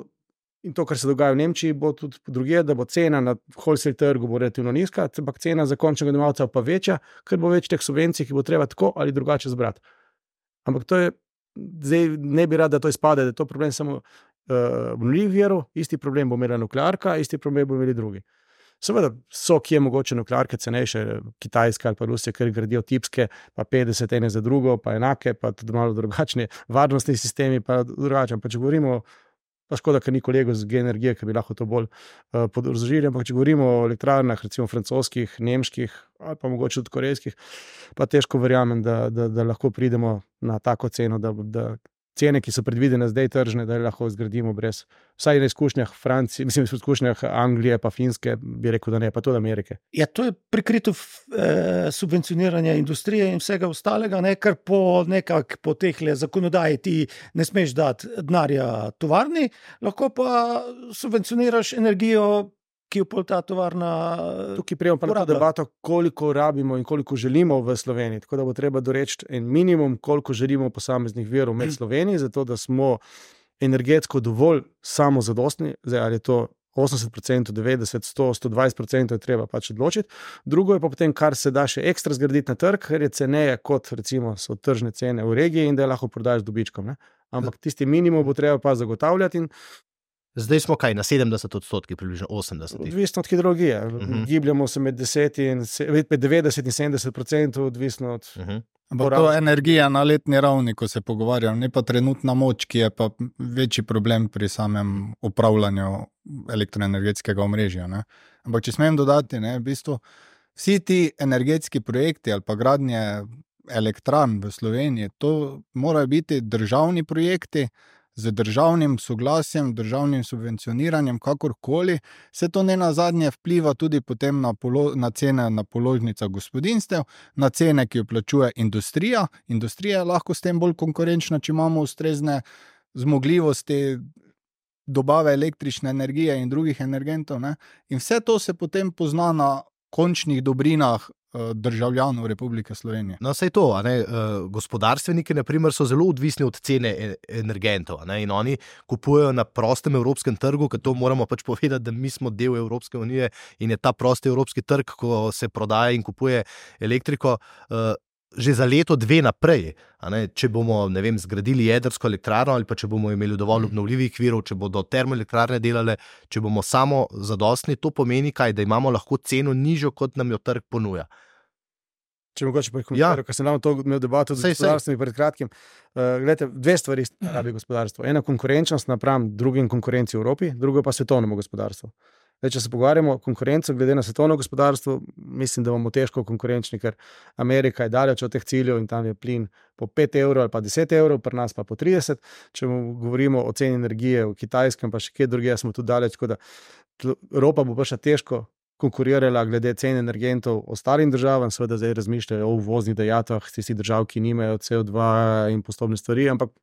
in to, kar se dogaja v Nemčiji, bo tudi drugje, da bo cena na wholesale trgu bo relativno nizka, ampak cena za končnega odjemalca pa večja, ker bo več teh subvencij, ki bo treba tako ali drugače zbrati. Ampak to je, zdaj ne bi rad, da to izpade, da je to problem samo obnovljivih virov, isti problem bo imela nuklearka, isti problem bo imeli drugi. Seveda so, ki je mogoče nuklearke cenejše, Kitajska ali pa Rusija, ker gradijo tipske, pa petdeset ene za drugo, pa enake, pa tudi malo drugačni varnostni sistemi, pa drugačni. Pa če govorimo, pa škoda, ker ni kolegov z G-energije, ki bi lahko to bolj uh, podrazložili, ampak če govorimo o elektrarnah, recimo francoskih, nemških ali pa mogoče tudi korejskih, pa težko verjamem, da, da, da lahko pridemo na tako ceno, da, da cene, ki so predvidene zdaj tržne, da lahko zgradimo brez, vsaj na izkušnjah Francije, mislim, na izkušnjah Anglije pa Finske, bi rekel, da ne, pa tudi Amerike. Ja, to je prikrito eh, subvencioniranje industrije in vsega ostalega, ne, kar po nekak po tehle zakonodaji ti ne smeš dati denarja tovarni, lahko pa subvencioniraš energijo, ki jo pol ta tovarna Tukaj prijemo pa na to debato, koliko rabimo in koliko želimo v Sloveniji, tako da bo treba doreči en minimum, koliko želimo posameznih virov med Sloveniji, zato da smo energetsko dovolj samozadostni, zdaj ali je to osemdeset procentov, devetdeset, sto, sto dvajset procentov je treba pač odločiti. Drugo je pa potem, kar se da še ekstra zgraditi na trg, ker je ceneje kot recimo so tržne cene v regiji in da je lahko prodajaš dobičkom. Ne? Ampak tisti minimum bo treba pa zagotavljati in Zdaj smo kaj na sedemdeset odstotkih, približno osemdeset. Odvisno od hidrologije. Uh Mhm. -huh. Gibljamo se med, deset in, med devetdeset in sedemdeset procentov, odvisno od. Uh -huh. Ampak to je energija na letni ravni, ko se pogovarjamo, ne pa trenutna moč, ki je pa večji problem pri samem upravljanju elektroenergetskega omrežja. Ne? Ampak če smem dodati, ne, v bistvu vsi ti energetski projekti ali pa gradnje elektran v Sloveniji, to morajo biti državni projekti, z državnim soglasjem, državnim subvencioniranjem, kakorkoli, se to ne nazadnje vpliva tudi potem na, polo, na cene na položnicah gospodinjstev, na cene, ki jo plačuje industrija. Industrija je lahko s tem bolj konkurenčna, če imamo ustrezne zmogljivosti dobave električne energije in drugih energentov. Ne? In vse to se potem pozna na končnih dobrinah državljanov Republike Slovenije. No, saj to, a ne, gospodarstveniki na primer so zelo odvisni od cene energentov, a ne, in oni kupujejo na prostem evropskem trgu, ker to moramo pač povedati, da mi smo del Evropske unije in je ta prosti evropski trg, ko se prodaja in kupuje elektriko, že za leto, dve naprej. A ne, če bomo, ne vem, zgradili jedrsko elektrarno ali pa če bomo imeli dovolj obnovljivih virov, če bodo termoelektrarne delale, če bomo samo zadostni, to pomeni kaj, da imamo lahko ceno nižjo, kot nam jo trg ponuja. Če mogoče pa komentarijo, ja. Ker sem ravno to imel debato z gospodarstvom pred kratkim. Uh, glede, dve stvari rabi gospodarstvo. Ena konkurenčnost napram drugim konkurenci v Evropi, drugo pa svetovnemu gospodarstvu. Zdaj, če se pogovarjamo o konkurencu glede na svetovno gospodarstvo, mislim, da bomo težko konkurenčni, ker Amerika je daleč od teh ciljev in tam je plin po pet evrov ali pa deset evrov, pri nas pa po trideset. Če govorimo o ceni energije v Kitajskem, pa še kje drugje, smo tu daleč, tako da Evropa bo pa še težko konkurirala glede cen energentov ostalim državam, seveda zdaj razmišljajo o uvoznih dajatvah, tisti držav, ki nimajo C O dva in postopne stvari, ampak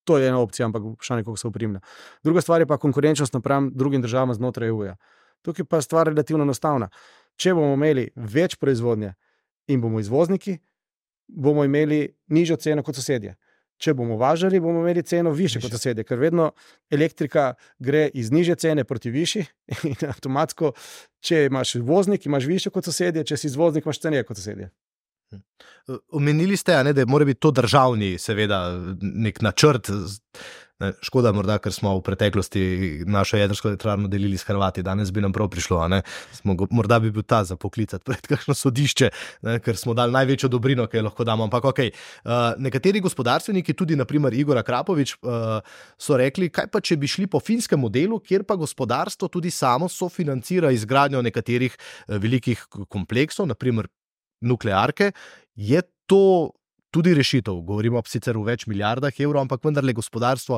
to je ena opcija, ampak vprašanje, koliko se oprimlja. Druga stvar je pa konkurenčnost napram drugim državam znotraj E U-ja. Tukaj pa stvar relativno enostavna. Če bomo imeli več proizvodnje in bomo izvozniki, bomo imeli nižjo ceno kot sosedje. Če bomo važali, bomo imeli ceno više kot sosedje, ker vedno elektrika gre iz nižje cene proti višji in avtomatsko, če imaš voznik, imaš više kot sosedje, če si izvoznik, imaš cenije kot sosedje. Omenili ste, a ne, da mora biti to državni, seveda, nek načrt. Ne, škoda morda, ker smo v preteklosti našo jedrsko elektrarno delili s Hrvati, danes bi nam prav prišlo, a ne. Smo, morda bi bil ta za poklicati pred kakšno sodišče, ne, ker smo dali največjo dobrino, ki jo lahko damo. Ampak okej, uh, nekateri gospodarstveniki, tudi naprimer Igor Akrapovič, uh, so rekli, kaj pa če bi šli po finskem modelu, kjer pa gospodarstvo tudi samo sofinancira izgradnjo nekaterih uh, velikih kompleksov, naprimer nuklearke, je to tudi rešitev. Govorimo sicer v več milijardah evrov, ampak vendarle gospodarstvo,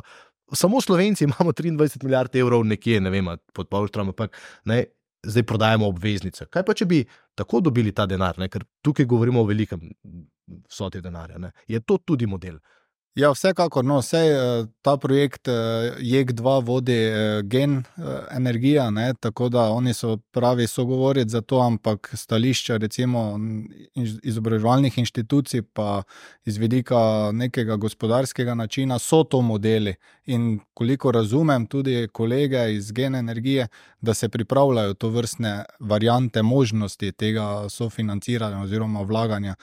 samo Slovenci imamo triindvajset milijard evrov nekje, ne vem, pod polštrom, ampak ne, zdaj prodajamo obveznice. Kaj pa, če bi tako dobili ta denar, ne? Ker tukaj govorimo o velikem vsoti denarja, ne? Je to tudi model? Ja, vsekakor, no, vse ta projekt J E K dva vodi Gen energija, ne, tako da oni so pravi sogovoriti za to, ampak stališča recimo izobraževalnih inštitucij pa iz vidika nekega gospodarskega načina so to modeli in koliko razumem tudi kolege iz Gen energije, da se pripravljajo to vrstne variante možnosti tega sofinanciranja oziroma vlaganja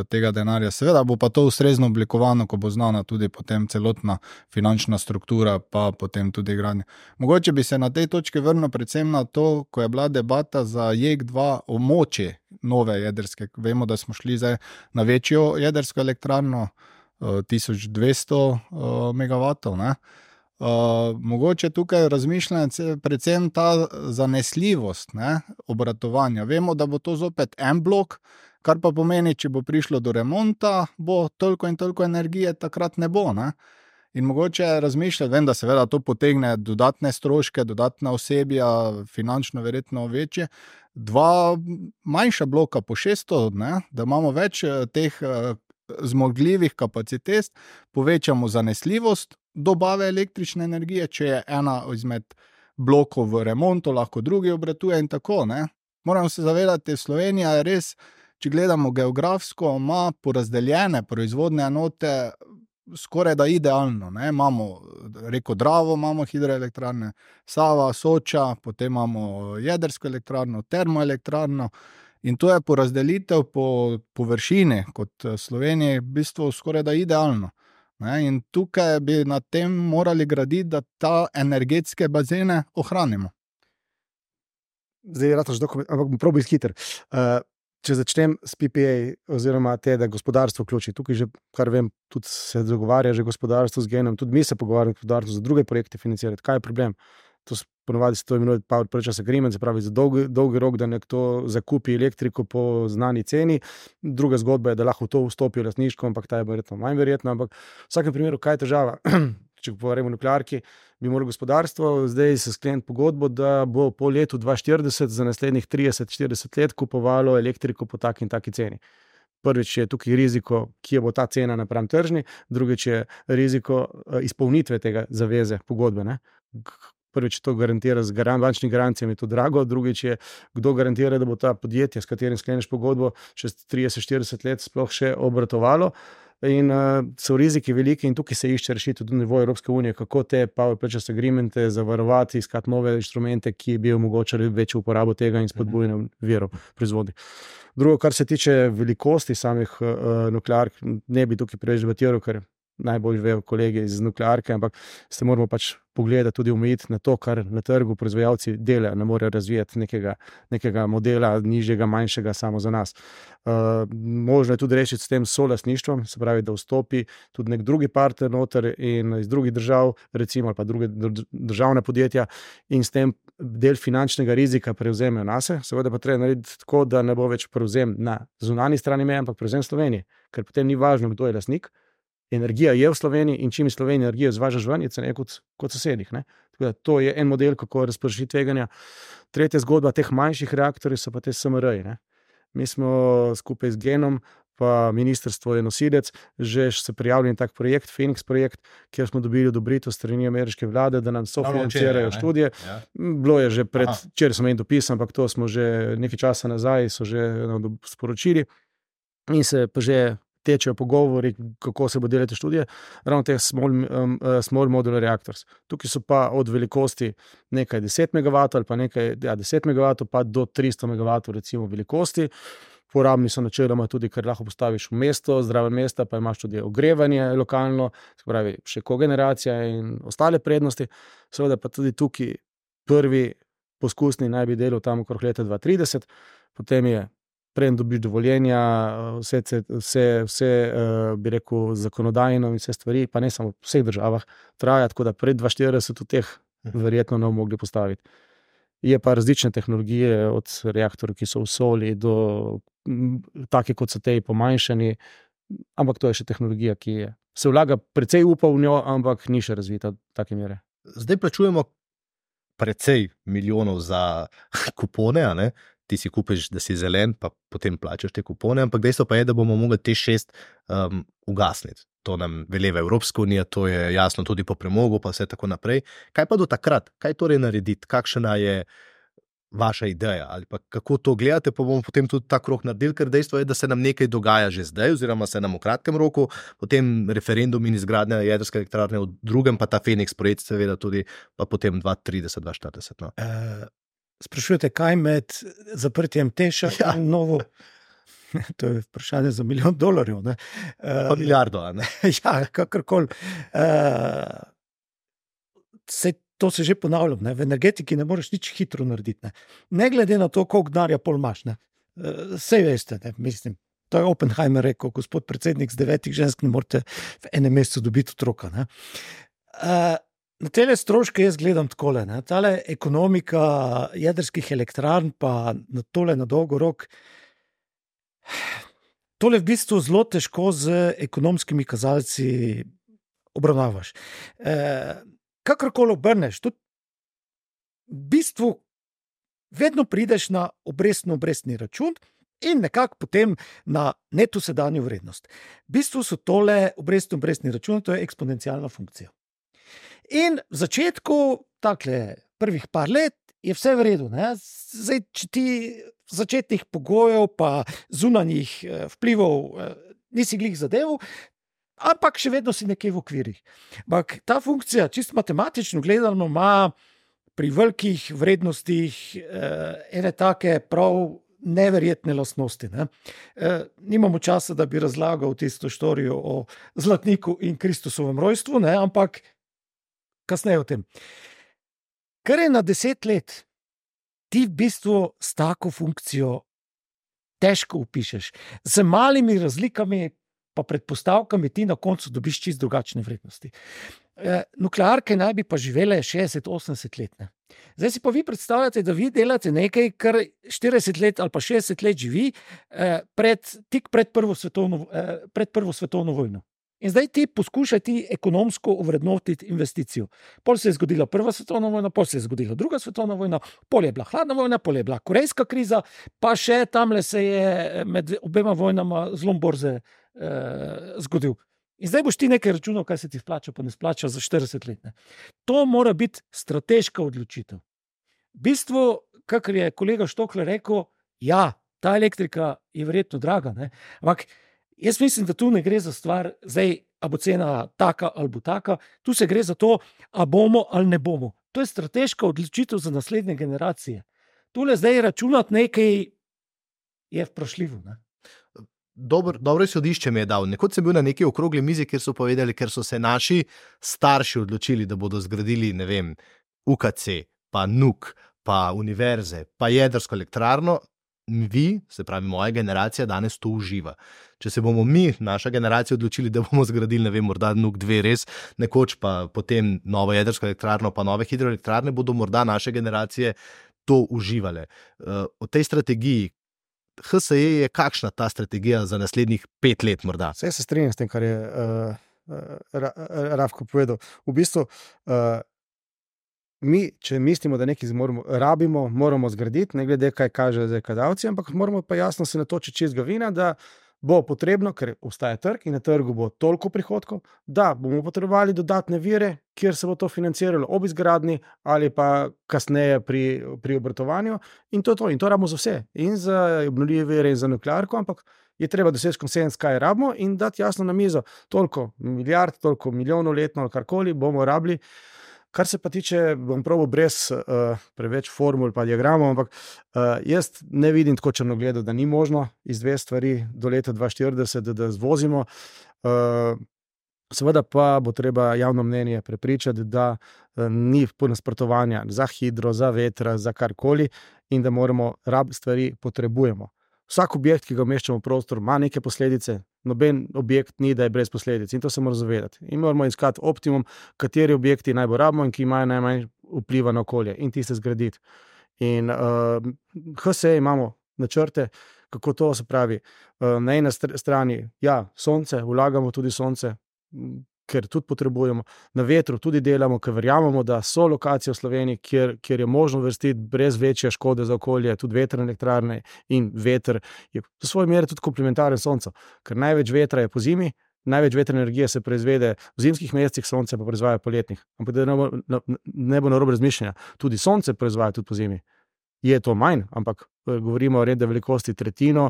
tega denarja. Seveda bo pa to ustrezno oblikovano, ko bo znana tudi potem celotna finančna struktura, pa potem tudi gradnja. Mogoče bi se na tej točki vrnil predvsem na to, ko je bila debata za J E K dva o moči nove jedrske. Vemo, da smo šli zdaj na večjo jedrsko elektrarno, tisoč dvesto megavatov, ne? Uh, mogoče tukaj razmišljanje predvsem ta zanesljivost, ne, obratovanja. Vemo, da bo to zopet en blok, kar pa pomeni, če bo prišlo do remonta, bo toliko in toliko energije takrat ne bo. Ne? In mogoče razmišljati, vem, da seveda to potegne dodatne stroške, dodatna osebja, finančno verjetno večje, dva manjša bloka po šeststo, ne, da imamo več teh zmogljivih kapacitet, povečamo zanesljivost dobave električne energije, če je ena izmed blokov v remontu, lahko drugi obratuje in tako, ne. Moramo se zavedati, Slovenija je res, če gledamo geografsko, ima porazdeljene proizvodne enote skoraj da idealno, ne. Imamo reko Dravo, imamo hidroelektrarne, Sava, Soča, potem imamo jedrsko elektrarno, termoelektrarno in to je porazdelitev po površini kot Sloveniji v bistvu skoraj da idealno. Ne, in tukaj bi na tem morali graditi, da ta energetske bazene ohranimo. Zdaj, rataš dokument, ampak bom probil hiter. Uh, če začnem s P P A oziroma te, da gospodarstvo vključi. Tukaj že, kar vem, tudi se dogovarja že gospodarstvo z genom, tudi mi se pogovarjamo z gospodarstvom za druge projekte financirati. Kaj je problem? To ponovadi se to imenuje power purchase agreement, se pravi za dolgi, dolgi rok, da nekdo zakupi elektriko po znani ceni. Druga zgodba je, da lahko to vstopi v lastništvo, ampak ta je verjetno manj verjetna. Ampak v vsakem primeru, kaj je težava? Če govorimo o nuklearki, bi moralo gospodarstvo zdaj se skleniti pogodbo, da bo po letu dva tisoč štirideset za naslednjih trideset štirideset let kupovalo elektriko po taki in taki ceni. Prvič je tukaj riziko, kje bo ta cena napram tržni, drugič je riziko izpolnitve tega zaveze pogodbe, ne? Prvič to garantira z garan, bančnimi garancijami, je to drago, drugič je, kdo garantira, da bo ta podjetje, s katerim skleneš pogodbo, čez trideset štirideset let sploh še obratovalo. In uh, so riziki veliki in tukaj se išče rešitev tudi na nivoju Evropske unije, kako te power purchase agreemente zavarovati, iskati nove inštrumente, ki bi omogočali večjo uporabo tega in spodbujanje virov proizvodnje. Drugo, kar se tiče velikosti samih uh, nukleark, ne bi tukaj preveč debatiral, ker najbolj vejo kolegi iz nuklearke, ampak se moramo pač pogledati tudi omejiti na to, kar na trgu proizvajalci delajo, ne morejo razvijati nekega, nekega modela nižjega, manjšega samo za nas. Uh, možno je tudi rešiti s tem solastništvom, se pravi, da vstopi tudi nek drugi partner noter in iz drugih držav, recimo, ali pa druge državne podjetja in s tem del finančnega rizika prevzemejo nase. Seveda pa treba narediti tako, da ne bo več prevzem na zunanji strani meje, ampak prevzem Slovenije, ker potem ni važno, kdo je lastnik. Energija je v Sloveniji in čim iz Slovenije energijo zvažaš ven, je ceneje kot, kot sosedih. Ne? Tako da to je en model, kako razpršiti tveganja. Tretja zgodba teh manjših reaktorjev so pa te S M R-ji. Ne? Mi smo skupaj z Genom, pa ministrstvo je nosilec, že se prijavili na tak projekt, Phoenix projekt, kjer smo dobili odobritev strani ameriške vlade, da nam sofinancirajo študije. Ja. Bilo je že pred, včeraj sem en dopis, ampak to smo že nekaj časa nazaj, so že no, sporočili in se pa že tečejo pogovori, kako se bo delati študije, ravno teh small, um, small modular reactors. Tukaj so pa od velikosti nekaj deset megavatov ali pa nekaj ja, deset megavatov pa do tristo megavatov recimo velikosti. Porabni so načeloma tudi, ker lahko postaviš v mesto, zraven mesta, pa imaš tudi ogrevanje lokalno, se pravi še kogeneracija in ostale prednosti. Seveda pa tudi tukaj prvi poskusni naj bi delal tam okrog leta dva tisoč trideset, potem je preden dobiš dovoljenja, vse, vse, vse bi rekel, zakonodajno in vse stvari, pa ne samo v vseh državah, traja, tako da pred dva tisoč štirideset teh verjetno ne bomo mogli postaviti. Je pa različne tehnologije, od reaktorjev, ki so v soli, do take, kot so te pomanjšani, ampak to je še tehnologija, ki je. Se vlaga precej upa v njo, ampak ni še razvita v take mere. Zdaj plačujemo precej milijonov za kupone, a ne? Ti si kupiš, da si zelen, pa potem plačaš te kupone, ampak dejstvo pa je, da bomo mogli te šest um, ugasniti. To nam veleva Evropska unija, to je jasno tudi po premogu, pa vse tako naprej. Kaj pa do takrat? Kaj torej narediti? Kakšna je vaša ideja? Ali pa kako to gledate, pa bomo potem tudi ta krog naredili, ker dejstvo je, da se nam nekaj dogaja že zdaj, oziroma se nam v kratkem roku, potem referendum in izgradnja jedrske elektrarne v drugem, pa ta Phoenix projekt seveda tudi, pa potem dva tisoč trideset, dva tisoč štirideset. No. Uh... Sprašujete, kaj med zaprtjem Teša ja. in novo? To je vprašanje za milijon dolarjev. Ne? Pa uh, milijardo, a ne? Ja, kakorkoli. Uh, se, to se že ponavljam. Ne? V energetiki ne moreš nič hitro narediti. Ne, ne glede na to, koliko denarja pol imaš. Uh, sej veste, ne? Mislim. To je Oppenheimer rekel, gospod predsednik, z devetih žensk ne morete v enem mesecu dobiti otroka. Ne? Uh, Na tele stroške jaz gledam takole, ne, tale ekonomika jedrskih elektrarn pa na tole na dolgo rok, tole v bistvu zelo težko z ekonomskimi kazalci obravnavaš. Uh, kakorkoli obrneš, tudi v bistvu vedno prideš na obrestno-obrestni račun in nekako potem na neto sedanjo vrednost. V bistvu so tole obrestno-obrestni račun, to je eksponencialna funkcija. In v začetku, takle prvih par let, je vse v redu. Ne? Zdaj, če ti začetnih pogojev pa zunanjih vplivov nisi glih zadev, ampak še vedno si nekje v okvirih. Ampak ta funkcija, čisto matematično gledano, ima pri velikih vrednostih ene take prav neverjetne lastnosti. Ne? Nimamo časa, da bi razlagal tisto štorijo o Zlatniku in Kristusovem rojstvu, ne? Ampak kasneje o tem. Kar je na deset let, ti v bistvu s tako funkcijo težko upišeš. Z malimi razlikami pa predpostavkami ti na koncu dobiš čisto drugačne vrednosti. E, nuklearke naj bi pa živele šestdeset do osemdeset let. Ne? Zdaj si pa vi predstavljate, da vi delate nekaj, kar štirideset let ali pa šestdeset let živi eh, pred, tik pred prvo svetovno, eh, pred prvo svetovno vojno. In zdaj ti poskušaj ti ekonomsko ovrednotiti investicijo. Pol se je zgodila prva svetovna vojna, pol se je zgodila druga svetovna vojna, pol je bila hladna vojna, pol je bila korejska kriza, pa še tamle se je med obema vojnama zlom borze eh, zgodil. In zdaj boš ti nekaj računal, kaj se ti splača, pa ne splača za štirideset let. Ne. To mora biti strateška odločitev. V bistvu, kakor je kolega Štokler rekel, ja, ta elektrika je verjetno draga, ne. Ampak jaz mislim, da tu ne gre za stvar, zdaj, a bo cena taka ali bo taka, tu se gre za to, a bomo ali ne bomo. To je strateška odločitev za naslednje generacije. Tule zdaj računati nekaj je vprašljivo, ne. Dobro, dobro izhodišče mi je dal. Nekoč sem bil na neki okrogli mizi, kjer so povedali, ker so se naši starši odločili, da bodo zgradili, ne vem, U K C, pa N U K, pa univerze, pa jedrsko elektrarno, vi, se pravi moja generacija, danes to uživa. Če se bomo mi, naša generacija, odločili, da bomo zgradili, ne vem, morda N U K dve res, nekoč pa potem novo jedrsko elektrarno, pa nove hidroelektrarne, bodo morda naše generacije to uživale. O tej strategiji, H S E je kakšna ta strategija za naslednjih pet let morda? Vse se strinjam s tem, kar je uh, uh, Rafko povedal. V bistvu, uh, mi, če mislimo, da nekaj moramo, rabimo, moramo zgraditi, ne glede kaj kaže zdaj kazalci, ampak moramo pa jasno se natočiti čez glavina, da bo potrebno, ker obstaja trg in na trgu bo toliko prihodkov, da bomo potrebovali dodatne vire, kjer se bo to financiralo ob izgradnji ali pa kasneje pri, pri obratovanju in to je to. In to rabimo za vse. In za obnovljive vire in za nuklearko, ampak je treba doseči konsens, kaj rabimo in dati jasno na mizo. Toliko milijard, toliko milijonov letno ali karkoli bomo rabili. Kar se pa tiče, bom probal brez uh, preveč formul pa diagramov, ampak uh, jaz ne vidim tako črnogledo, da ni možno iz dve stvari do leta dva tisoč štirideset, da, da zvozimo. Uh, seveda pa bo treba javno mnenje prepričati, da uh, ni nasprotovanja za hidro, za vetra, za karkoli in da moramo rab stvari potrebujemo. Vsak objekt, ki ga umeščamo v prostor, ima neke posledice. Noben objekt ni, da je brez posledic in to se mora zavedati. In moramo iskati optimum, kateri objekti najbolj rabimo in ki imajo najmanj vpliva na okolje in tiste zgraditi. In uh, H S E imamo načrte, kako to se pravi. Uh, na eni strani, ja, sonce, vlagamo tudi sonce, ker tudi potrebujemo. Na vetru tudi delamo, ker verjamemo, da so lokacije v Sloveniji, kjer, kjer je možno vrstiti brez večje škode za okolje, tudi vetrne elektrarne in veter je v svoji meri tudi komplementaren soncu, ker največ vetra je po zimi, največ vetrne energije se proizvede v zimskih mesecih, sonce pa proizvaja poletnih. Ampak da ne bo, ne bo narobe razmišljanja, tudi sonce proizvaja tudi po zimi. Je to manj, ampak govorimo o redne velikosti tretjino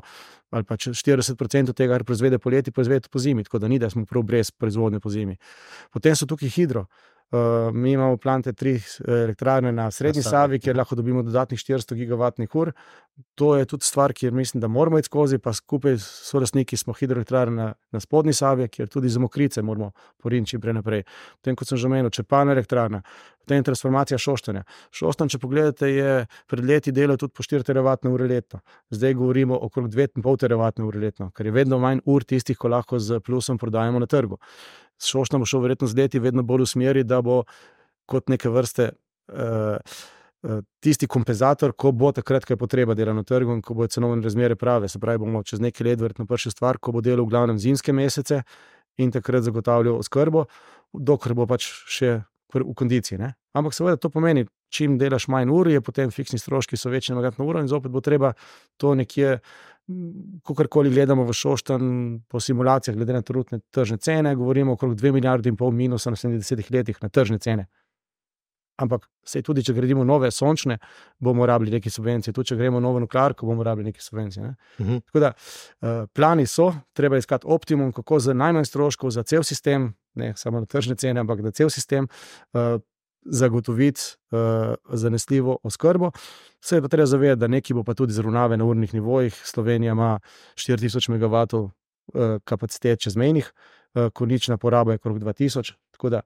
ali pa štirideset procentov tega, kar proizvede poleti, proizvede po zimi, tako da ni, da smo prav brez proizvodnje po zimi. Potem so tukaj hidro. Uh, mi imamo plante tri elektrarne na Srednji Savi, kjer lahko dobimo dodatnih štiristo gigavatnih ur. To je tudi stvar, kjer mislim, da moramo iti skozi, pa skupaj s solastniki smo hidroelektrarne na, na Spodnji Savi, kjer tudi za Mokrice moramo poriniti čim prej naprej. Potem, kot sem že omenil, Čepalna elektrarna, potem transformacija Šoštanja. Šoštanj, če pogledate, je pred leti delal tudi po štiri teravatne ure letno. Zdaj govorimo okrog dve in pol teravatne ure letno, ker je vedno manj ur tistih, ko lahko z plusom prodajamo na trgu. Šoštna bo šel verjetno z leti vedno bolj v smeri, da bo kot neke vrste uh, uh, tisti kompenzator, ko bo takrat, ko je potreba dela na trgu in ko bo cenovne razmere prave. Se pravi, bomo čez nekaj let verjetno prišli stvar, ko bo delal v glavnem zimske mesece in takrat zagotavljal oskrbo. dokler bo pač še v kondiciji. Ne? Ampak seveda to pomeni, čim delaš manj ur, je potem fiksni stroški so večji na megavatno uro in zopet bo treba to nekje, kakorkoli gledamo v Šoštanj po simulacijah, glede na trenutne tržne cene, govorimo okrog dve milijardi in pol minusa na sedemdesetih letih na tržne cene. Ampak sej tudi, če gradimo nove sončne, bomo rabili neke subvencije, tudi če gremo novo nuklearko, bomo rabili neke subvencije. Ne? Uh-huh. Tako da, uh, plani so, treba iskati optimum, kako za najmanj stroškov, za cel sistem, ne samo na tržne cene, ampak da cel sistem uh, zagotoviti uh, zanesljivo oskrbo. Se je pa treba zavedati, da neki bo pa tudi zravnave na urnih nivojih. Slovenija ima štiri tisoč megavatov uh, kapacitet čezmejnih, uh, konična poraba je okrog dva tisoč, tako da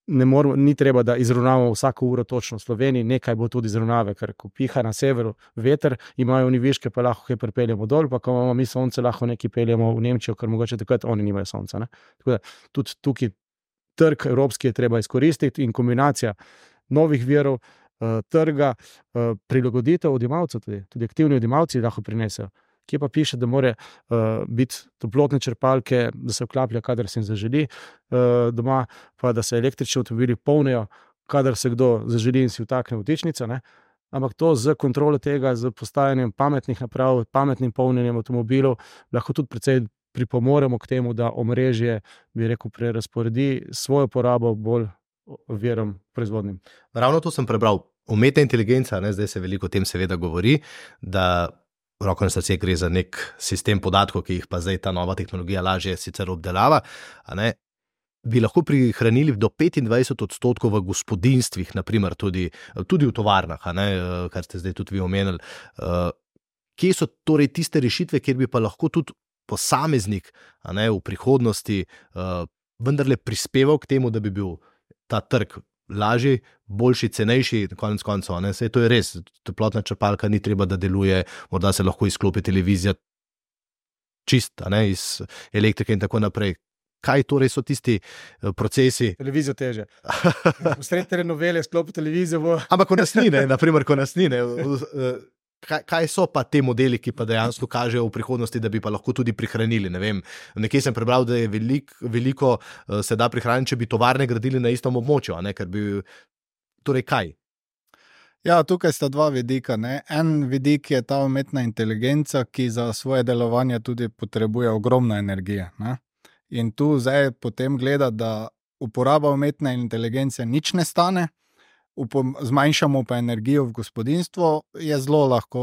ne moramo, ni treba, da izravnavamo vsako uro točno v Sloveniji, nekaj bo tudi izravnave, ker ko piha na severu veter, imajo oni viške, pa lahko kaj pripeljemo dol, pa ko imamo mi sonce, lahko nekaj peljemo v Nemčijo, ker mogoče takrat oni nimajo sonca. Ne? Tako da tudi tukaj trg evropski je treba izkoristiti in kombinacija novih virov, uh, trga, uh, prilagoditev odjemalcev, tudi, tudi aktivni odjemalci lahko prinesejo. Kje pa piše, da mora uh, biti toplotne črpalke, da se vklaplja, kadar se jim zaželi uh, doma, pa da se električni avtomobili polnijo, kadar se kdo zaželi in si vtakne vtičnico. Ne? Ampak to z kontrolo tega, z postajanjem pametnih naprav, pametnim polnjenjem avtomobilov, lahko tudi precej pripomoremo k temu, da omrežje, bi rekel, prerasporedi svojo porabo bolj virom proizvodnim. Ravno to sem prebral. Umetna inteligenca, ne, zdaj se veliko o tem seveda govori, da roko na srce gre za nek sistem podatkov, ki jih pa zdaj ta nova tehnologija lažje sicer obdelava, a ne, bi lahko prihranili do petindvajset odstotkov v gospodinjstvih, naprimer tudi, tudi v tovarnah, a ne, kar ste zdaj tudi vi omenili. Kje so torej tiste rešitve, kjer bi pa lahko tudi posameznik, a ne, v prihodnosti vendarle prispeval k temu, da bi bil ta trg lažji, boljši, cenejši, konec koncev, ne, saj to je res, toplotna črpalka ni treba, da deluje, morda se lahko izklopi televizija čist, ne, iz elektrike in tako naprej. Kaj torej so tisti procesi? Televizijo teže. V srednje novele sklopi televizijo. Bo... Ampak ko nas ni, ne, naprimer, ko nas ni, ne, kaj, kaj so pa te modeli, ki pa dejansko kažejo v prihodnosti, da bi pa lahko tudi prihranili, ne vem. Nekje sem prebral, da je velik, veliko se da prihraniti, če bi tovarne gradili na istem območju, a ne, ker bi, torej kaj? Ja, tukaj sta dva vidika. Ne? En vidik je ta umetna inteligenca, ki za svoje delovanje tudi potrebuje ogromno energije. Ne? In tu zdaj potem gleda, da uporaba umetne inteligence nič ne stane, zmanjšamo pa energijo v gospodinjstvu, je zelo lahko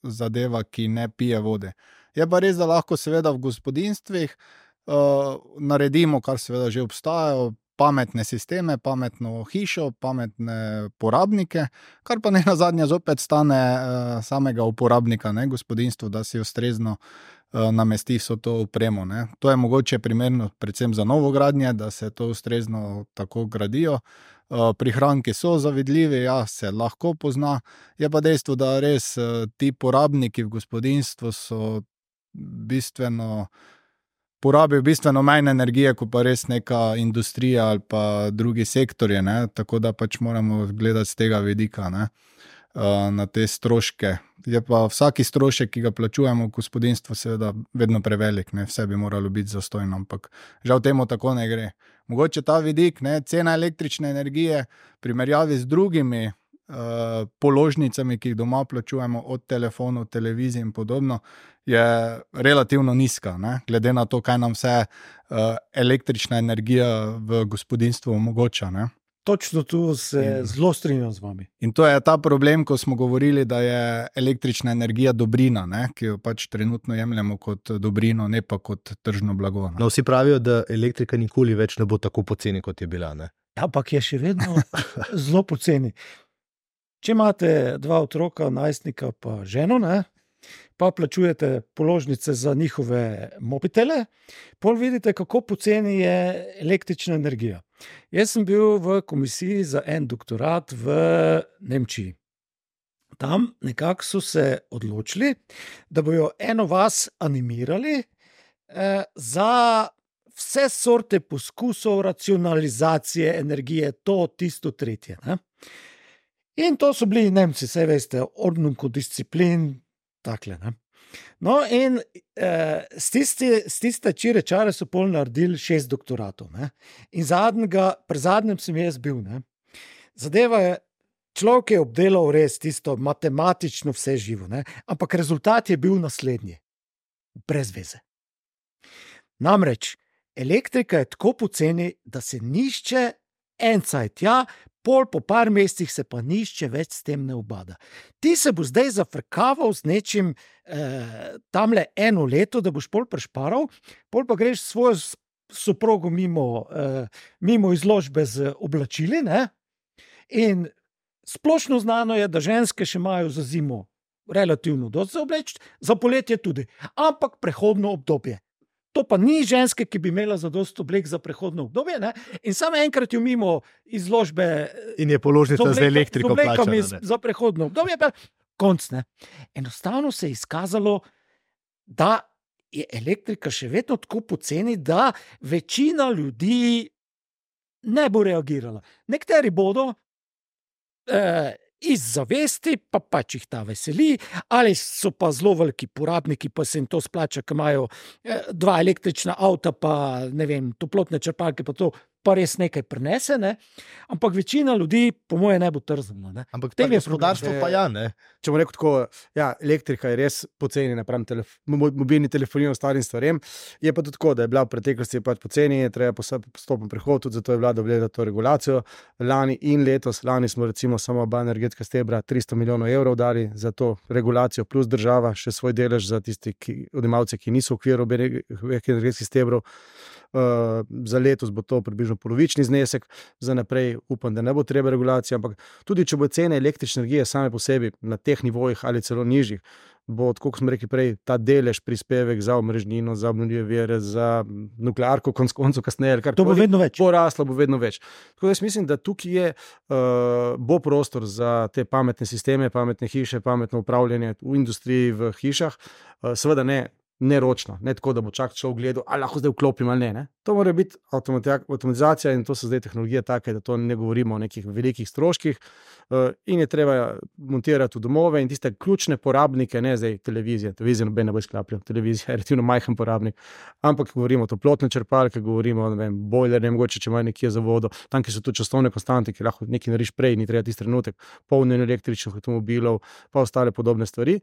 zadeva, ki ne pije vode. Je pa res, da lahko seveda v gospodinjstvih uh, naredimo, kar seveda že obstajajo, pametne sisteme, pametno hišo, pametne porabnike, kar pa ne nazadnje zopet stane uh, samega uporabnika, ne, gospodinjstvo, da si ustrezno uh, namesti vso to opremo. Ne. To je mogoče primerno predvsem za novogradnje, da se to ustrezno tako gradijo. Uh, prihranki so zavidljivi, ja, se lahko pozna. Je pa dejstvo, da res uh, ti porabniki v gospodinjstvu so bistveno porabijo bistveno manj energije, kot pa res neka industrija ali pa drugi sektorje, ne? Tako da pač moramo gledati z tega vidika, ne? Uh, na te stroške. Je pa vsaki strošek, ki ga plačujemo v gospodinjstvu, seveda vedno prevelik, ne? Vse bi moralo biti zastojno, ampak žal temu tako ne gre. Mogoče ta vidik, ne? Cena električne energije v primerjavi z drugimi uh, položnicami, ki jih doma plačujemo, od telefonov, televizij in podobno, je relativno nizka, ne? Glede na to, kaj nam vse uh, električna energija v gospodinjstvu omogoča, ne? Točno tu se in, zelo strinjam z vami. In to je ta problem, ko smo govorili, da je električna energija dobrina, ne? Ki jo pač trenutno jemljemo kot dobrino, ne pa kot tržno blago. Ne? No, vsi pravijo, da elektrika nikoli več ne bo tako poceni, kot je bila. Ne? Ja, ampak je še vedno zelo poceni. Če imate dva otroka, najstnika pa ženo, ne? Pa plačujete položnice za njihove mobitele, pol vidite, kako poceni je električna energija. Jaz sem bil v komisiji za en doktorat v Nemčiji. Tam nekako so se odločili, da bojo eno vas animirali eh, za vse sorte poskusov racionalizacije energije, to, tisto, tretje. Ne? In to so bili Nemci, saj veste, ordnung disciplin, takle, ne. No, in eh, s tiste, s tiste čire čare so pol naredili šest doktoratov. Ne? In zadnjega, pri zadnjem sem jaz bil. Ne? Zadeva je, človek je obdelal res tisto matematično vse živo, ne? Ampak rezultat je bil naslednji. Brez veze. Namreč, elektrika je tako poceni, da se nišče en cajt tja, pol po par mesecih se pa nišče več s tem ne ubada. Ti se bo zdaj zafrkaval z nečim eh, tamle eno leto, da boš pol prešparal, pol pa greš svojo soprogo mimo, eh, mimo izložbe z oblačili, ne? In splošno znano je, da ženske še imajo za zimo relativno dosti za obleči, za poletje tudi, ampak prehodno obdobje. To pa ni ženske, ki bi imela za dosti oblek za prehodno obdobje, ne? In samo enkrat jo mimo izložbe in je položnica z, obleka, z elektriko plačana. Za prehodno obdobje, pa konc, ne. Enostavno se je izkazalo, da je elektrika še vedno tako poceni, da večina ljudi ne bo reagirala. Nekateri bodo eh, iz zavesti, pa pač jih ta veseli, ali so pa zelo veliki porabniki, pa se jim to splača, ki imajo eh, dva električna avta, pa ne vem, toplotne črpalke, pa to pa res nekaj prenese, ne? Ampak večina ljudi, po moje, ne bo trzno. Ne? Ampak tem je gospodarstvo pa ja, ne? Če bomo rekel tako, ja, elektrika je res poceni napram telef mobilni telefoniji in ostalim stvarem, je pa tudi tako, da je bila v preteklosti pač poceni, je treba postopen prehod, tudi zato je vlada vgledala to regulacijo. Lani in letos, lani smo recimo samo oba energetska stebra tristo milijonov evrov dali za to regulacijo, plus država še svoj delež za tisti odjemalce, ki niso v okviru energetskih stebrov. Uh, za letos bo to približno polovični znesek, za naprej upam, da ne bo treba regulacije, ampak tudi če bo cene električne energije same po sebi na teh nivojih ali celo nižjih, bo, tako kot smo rekli prej, ta delež prispevek za omrežnino, za obnovljive vire, za nuklearko, konc koncev kasneje, kar to bo vedno več. Poraslo bo vedno več. Tako da jaz mislim, da tukaj je, uh, bo prostor za te pametne sisteme, pametne hiše, pametno upravljanje v industriji, v hišah, uh, seveda ne neročno, ne tako, da bo čak šel gledal, ali lahko zdaj vklopim ali ne, ne. To mora biti avtomatizacija in to so zdaj tehnologije take, da to ne govorimo o nekih velikih stroških uh, in je treba montirati v domove in tiste ključne porabnike, ne zdaj televizije, televizija noben ne bo izklapljal, televizija je relativno majhen porabnik, ampak govorimo o toplotne črpalke, govorimo o bojler, ne mogoče, če ima nekje za vodo, tam, ki so tudi časovne konstante, ki lahko nekaj nariš prej, ni treba tisti trenutek, polnjenje električnih avtomobilov, pa ostale podobne stvari.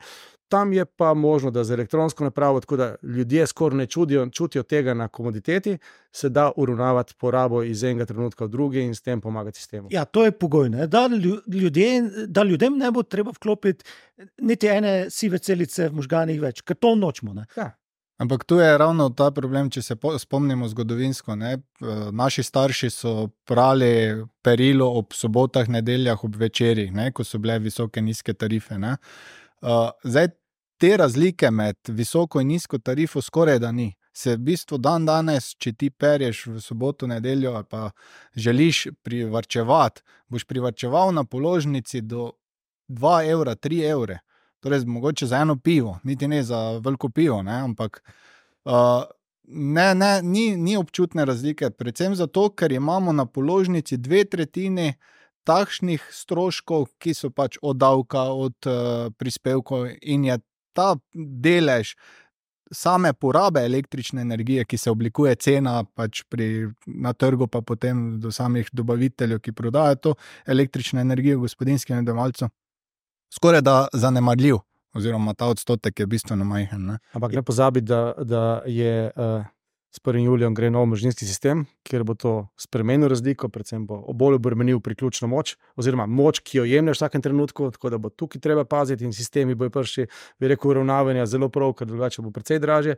Tam je pa možno, da z elektronsko napravo, tako da ljudje skoraj ne čutijo, čutijo tega na komoditeti, se da uravnavati porabo iz enega trenutka v drugi in s tem pomagati sistemu. Ja, to je pogoj, ne? Da, ljudje, da ljudem ne bo treba vklopiti niti ene sive celice v možganih več, ker to nočemo. Ne? Ja. Ampak tu je ravno ta problem, če se spomnimo zgodovinsko. Ne? Naši starši so prali perilo ob sobotah, nedeljah, ob večerih, ne? Ko so bile visoke, nizke tarife. Ne? Uh, zdaj, te razlike med visoko in nizko tarifo skoraj da ni. Se v bistvu dan danes, če ti perješ v soboto, nedeljo ali pa želiš privarčevati, boš privarčeval na položnici do dva evra, tri evre. Torej, mogoče za eno pivo, niti ne za veliko pivo, ne? Ampak uh, ne, ne, ni, ni občutne razlike. Predvsem zato, ker imamo na položnici dve tretjini takšnih stroškov, ki so pač od davka, od uh, prispevkov in je ta delež same porabe električne energije, ki se oblikuje cena pač pri, na trgu, pa potem do samih dobaviteljev, ki prodajajo to električno energijo gospodinskim odjemalcem, skoraj da zanemarljiv, oziroma ta odstotek je bistveno majhen. Ne? Ampak ne pozabi, da, da je uh, s prvim julijem gre nov omrežninski sistem, kjer bo to spremenil razliko, predvsem bo bolj obremenil priključno moč, oziroma moč, ki jo jemlješ v vsakem trenutku, tako da bo tukaj treba paziti in sistemi bojo prši, bi rekel, uravnavanja zelo prav, ker drugače bo precej dražje.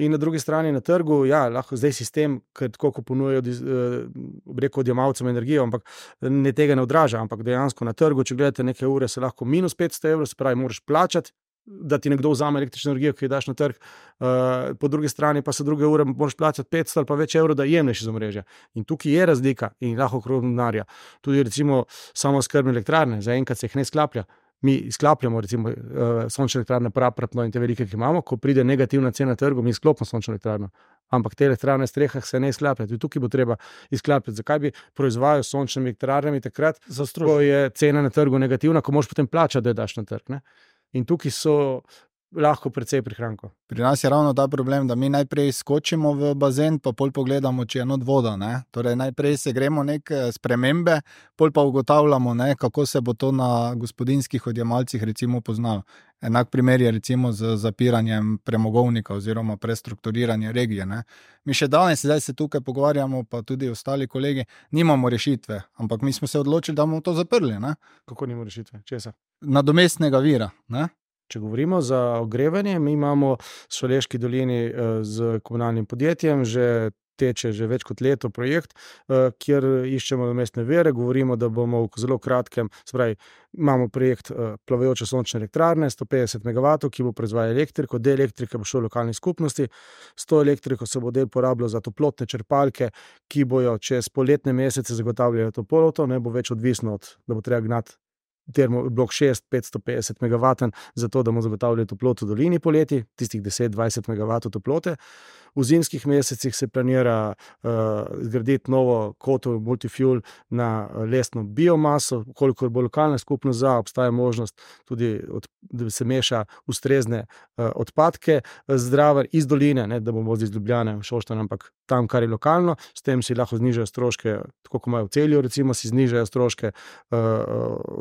In na drugi strani na trgu, ja, lahko zdaj sistem, ker tako, ko ponujajo, bi rekel, odjemalcem energijo, ampak ne tega ne odraža, ampak dejansko na trgu, če gledate neke ure, se lahko minus petsto evrov, se pravi, moraš plačati, da ti nekdo vzame električno energijo, ki jo daš na trg, uh, po drugi strani pa se druge ure moraš plačati petsto ali pa več evrov, da jemlješ iz omrežja. In tukaj je razlika in lahko okrog denarja. Tudi recimo samooskrbne elektrarne, zaenkrat se jih ne sklaplja. Mi izklapljamo recimo uh, sončne elektrarne prapratno in te velike, ki imamo, ko pride negativna cena na trgu, mi izklopimo sončno elektrarno. Ampak te elektrarne v strehah se ne izklapljajo. Tudi tukaj bo treba izklapljati. Zakaj bi proizvajal sončnimi elektrarnami takrat, ko je cena na trgu negativna, ko moraš potem plačati, da je daš na trg, ne? In tukaj so lahko precej prihrankov. Pri nas je ravno ta problem, da mi najprej skočimo v bazen, pa pol pogledamo, če je not voda. Ne? Torej, najprej se gremo neke spremembe, pol pa ugotavljamo, ne, kako se bo to na gospodinjskih odjemalcih recimo poznalo. Enak primer je recimo z zapiranjem premogovnika oziroma prestrukturiranje regije. Ne? Mi še danes, zdaj se tukaj pogovarjamo, pa tudi ostali kolegi, nimamo rešitve, ampak mi smo se odločili, da bomo to zaprli. Ne? Kako nimamo rešitve? Česa? Nadomestnega vira. Ne? Če govorimo za ogrevanje, mi imamo v Šaleški dolini z komunalnim podjetjem že teče že več kot leto projekt, kjer iščemo nadomestne vire. Govorimo, da bomo v zelo kratkem, spravi, imamo projekt plavajoče sončne elektrarne, sto petdeset megavatov, ki bo proizvajal elektriko, del elektrike bo šel v lokalni skupnosti, s to elektriko se bo del porabljal za toplotne črpalke, ki bojo čez poletne mesece zagotavljajo toploto, ne bo več odvisno od, da bo treba gnati termo blok šest, petsto petdeset megavaten, zato da bomo zagotavljali toploto v dolini poleti, tistih deset do dvajset megavatov toplote. V zimskih mesecih se planira uh, zgraditi novo kotlo multifuel na lesno biomaso, kolikor bo lokalna skupnost za, obstaja možnost tudi, od, da se meša ustrezne uh, odpadke zdraven iz doline, ne, da bomo iz Ljubljane v Šoštanj, ampak tam, kar je lokalno, s tem si lahko znižajo stroške, tako kot imajo v Celju, recimo si znižajo stroške uh,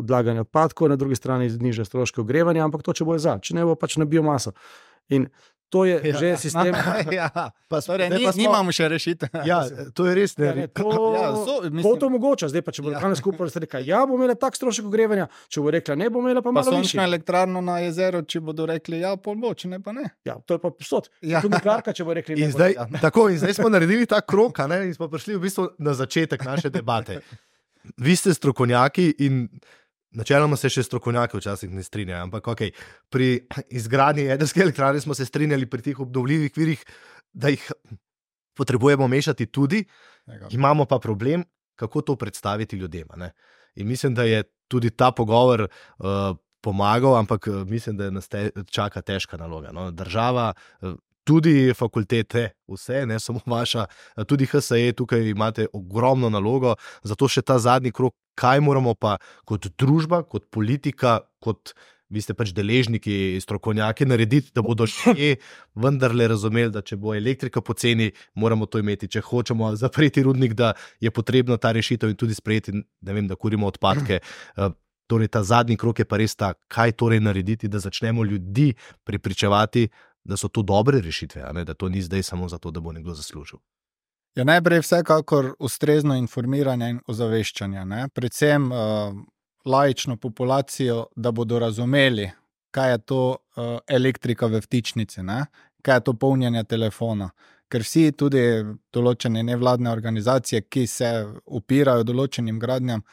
odlaganja odpadkov, na drugi strani znižajo stroške ogrevanja, ampak to, če bo za, če ne bo pač na biomaso. In to je ja, že sistem. Ja, pa torej, ni, pa smo, nimamo še rešitev. Ja, to je res. Ne, ja, ne, to, ja, so, mislim, to, to omogoča. Zdaj pa, če bo lokalna ja. skupnost rekla, ja, bo imela tak strošek ogrevanja, če bo rekla, ne bo imela pa, pa malo višji. Pa sončna elektrarna na jezeru, če bodo rekli, ja, pol bo, če ne pa ne. Ja, to je pa posod. Ja. Tu nuklearka, če bo rekli, ne. In zdaj, ja. tako, in zdaj smo naredili ta krok, ne, in smo prišli v bistvu na začetek naše debate. Vi ste strokovnjaki in načeloma se še strokovnjaki včasih ne strinjajo, ampak okay, pri izgradnji jedrske elektrarne smo se strinjali pri teh obnovljivih virih, da jih potrebujemo mešati tudi, imamo pa problem, kako to predstaviti ljudem. Ne? In mislim, da je tudi ta pogovor uh, pomagal, ampak mislim, da nas te, čaka težka naloga. No? Država, uh, tudi fakultete, vse, ne samo vaša, tudi H S E, tukaj imate ogromno nalogo, zato še ta zadnji krog, kaj moramo pa kot družba, kot politika, kot vi ste pač deležniki, strokovnjaki narediti, da bodo še vendarle razumeli, da če bo elektrika poceni, moramo to imeti, če hočemo zapreti rudnik, da je potrebno ta rešitev in tudi sprejeti, ne vem, da kurimo odpadke. Torej ta zadnji krog je pa res ta, kaj torej narediti, da začnemo ljudi prepričevati, da so to dobre rešitve, a ne, da to ni zdaj samo zato, da bo nekdo zaslužil. Ja, najprej vsekakor ustrezno informiranje in ozaveščanje, ne? Predvsem uh, laično populacijo, da bodo razumeli, kaj je to uh, elektrika v vtičnici, ne? Kaj je to polnjenje telefona. Ker vsi tudi določene nevladne organizacije, ki se upirajo določenim gradnjam,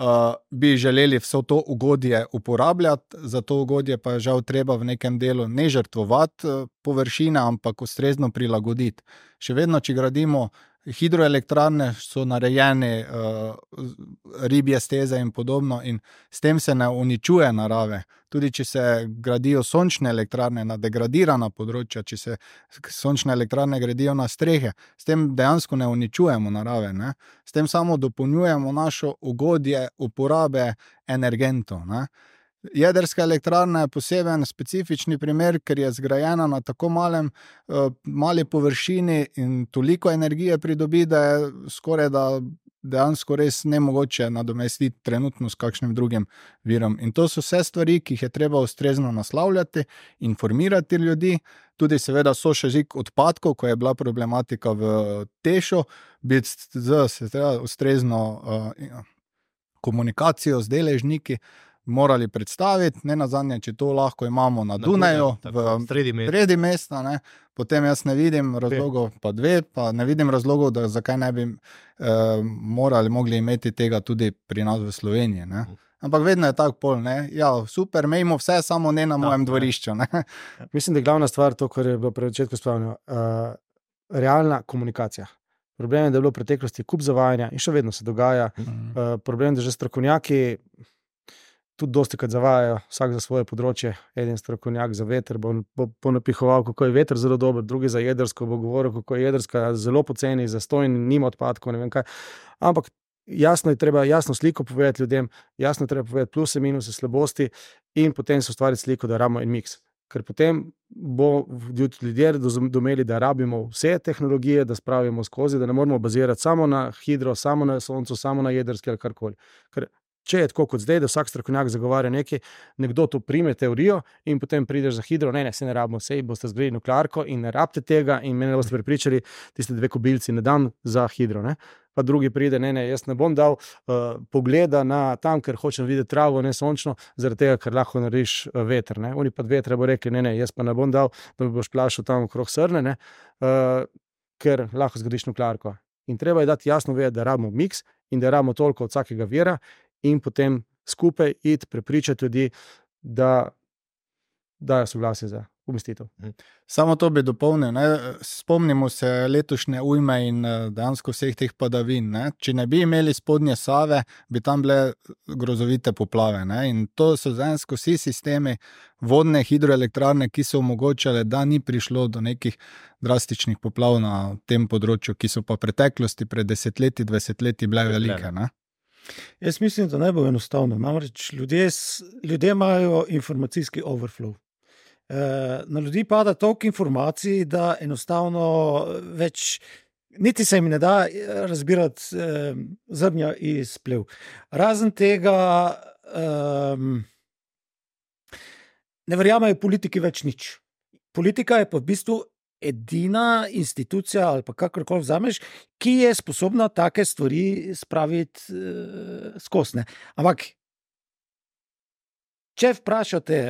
Uh, bi želeli vso to ugodje uporabljati, za to ugodje pa je žal treba v nekem delu ne žrtvovati uh, površine, ampak ustrezno prilagoditi. Še vedno, če gradimo hidroelektrarne, so narejene uh, ribje steze in podobno in s tem se ne uničuje narave. Tudi če se gradijo sončne elektrarne na degradirana področja, če se sončne elektrarne gradijo na strehe, s tem dejansko ne uničujemo narave. Ne? S tem samo dopolnjujemo našo ugodje uporabe energentov. Ne? Jedrska elektrarna je poseben specifični primer, ker je zgrajena na tako malem, uh, mali površini in toliko energije pridobi, da je skoraj da dejansko res nemogoče nadomestiti trenutno s kakšnim drugim virom. In to so vse stvari, ki jih je treba ustrezno naslavljati, informirati ljudi. Tudi seveda so še žig odpadkov, ko je bila problematika v Tešu, biti z ustrezno uh, komunikacijo z deležniki, morali predstaviti, ne nazadnje, če to lahko imamo na, na Dunaju, v sredi mesta, ne? Potem jaz ne vidim razlogov, pa dve, pa ne vidim razlogov, da zakaj ne bi eh, morali, mogli imeti tega tudi pri nas v Sloveniji. Ne? Ampak vedno je tak pol, ne? Ja, super, imejmo vse, samo ne na no, mojem dvorišču. Ne? Mislim, da je glavna stvar to, kar je bilo pri začetku spomnjeno, uh, realna komunikacija. Problem je, da je bilo v preteklosti kup zavajanja in še vedno se dogaja. Mm. Uh, problem je, da že strokovnjaki tudi dosti krat zavajajo, vsak za svoje področje. Eden strokovnjak za veter bo, bo, bo napihoval, kako je veter zelo dober, drugi za jedrsko bo govoril, kako je jedrska zelo poceni, zastojn, nima odpadkov, ne vem kaj. Ampak jasno je treba jasno sliko povedati ljudem, jasno je treba povedati pluse, minuse, slabosti in potem se ustvariti sliko, da rabimo en miks. ker potem bo ljudje razumeli, da rabimo vse tehnologije, da spravimo skozi, da ne moramo bazirati samo na hidro, samo na soncu, samo na jedrski ali karkoli. Ker če je tako kot zdaj, da vsak strokovnjak zagovarja nekaj, nekdo to prime teorijo in potem prideš za hidro, ne, ne, se ne rabimo, sej boste zgradili nuklearko in ne rabite tega in mene boste prepričali, tiste dve kobilci ne dam za hidro, ne. Pa drugi pride, ne, ne, jaz ne bom dal uh, pogleda na tam, ker hočem videti travo, ne sončno, zaradi tega, ker lahko narediš uh, veter, ne. Oni pa vetra bo rekli, ne, ne, jaz pa ne bom dal, da mi boš plašal tam okrog srne, ne, uh, ker lahko zgradiš nuklearko. In treba je dati jasno vedeti, da rabimo miks in da rabimo toliko od vsakega vira in potem skupaj iti prepričati ljudi, da dajo soglasje za umestitev. Samo to bi dopolnil. Ne? Spomnimo se letošnje ujme in dejansko vseh teh padavin. Ne? Če ne bi imeli spodnje Save, bi tam bile grozovite poplave. Ne? In to so dejansko vsi sistemi vodne hidroelektrarne, ki so omogočale, da ni prišlo do nekih drastičnih poplav na tem področju, ki so pa v preteklosti pred desetletji, dvajsetletji bile velike. Ne? Jaz mislim, da ne bo enostavno. Namreč ljudje, ljudje imajo informacijski overflow. Na ljudi pada toliko informacij, da enostavno več, niti se jim ne da razbirati zrnja iz plev. Razen tega um, ne verjamejo politiki več nič. Politika je pa v bistvu edina institucija ali pa kakorkoli vzameš, ki je sposobna take stvari spraviti uh, skozi. Ampak, če vprašate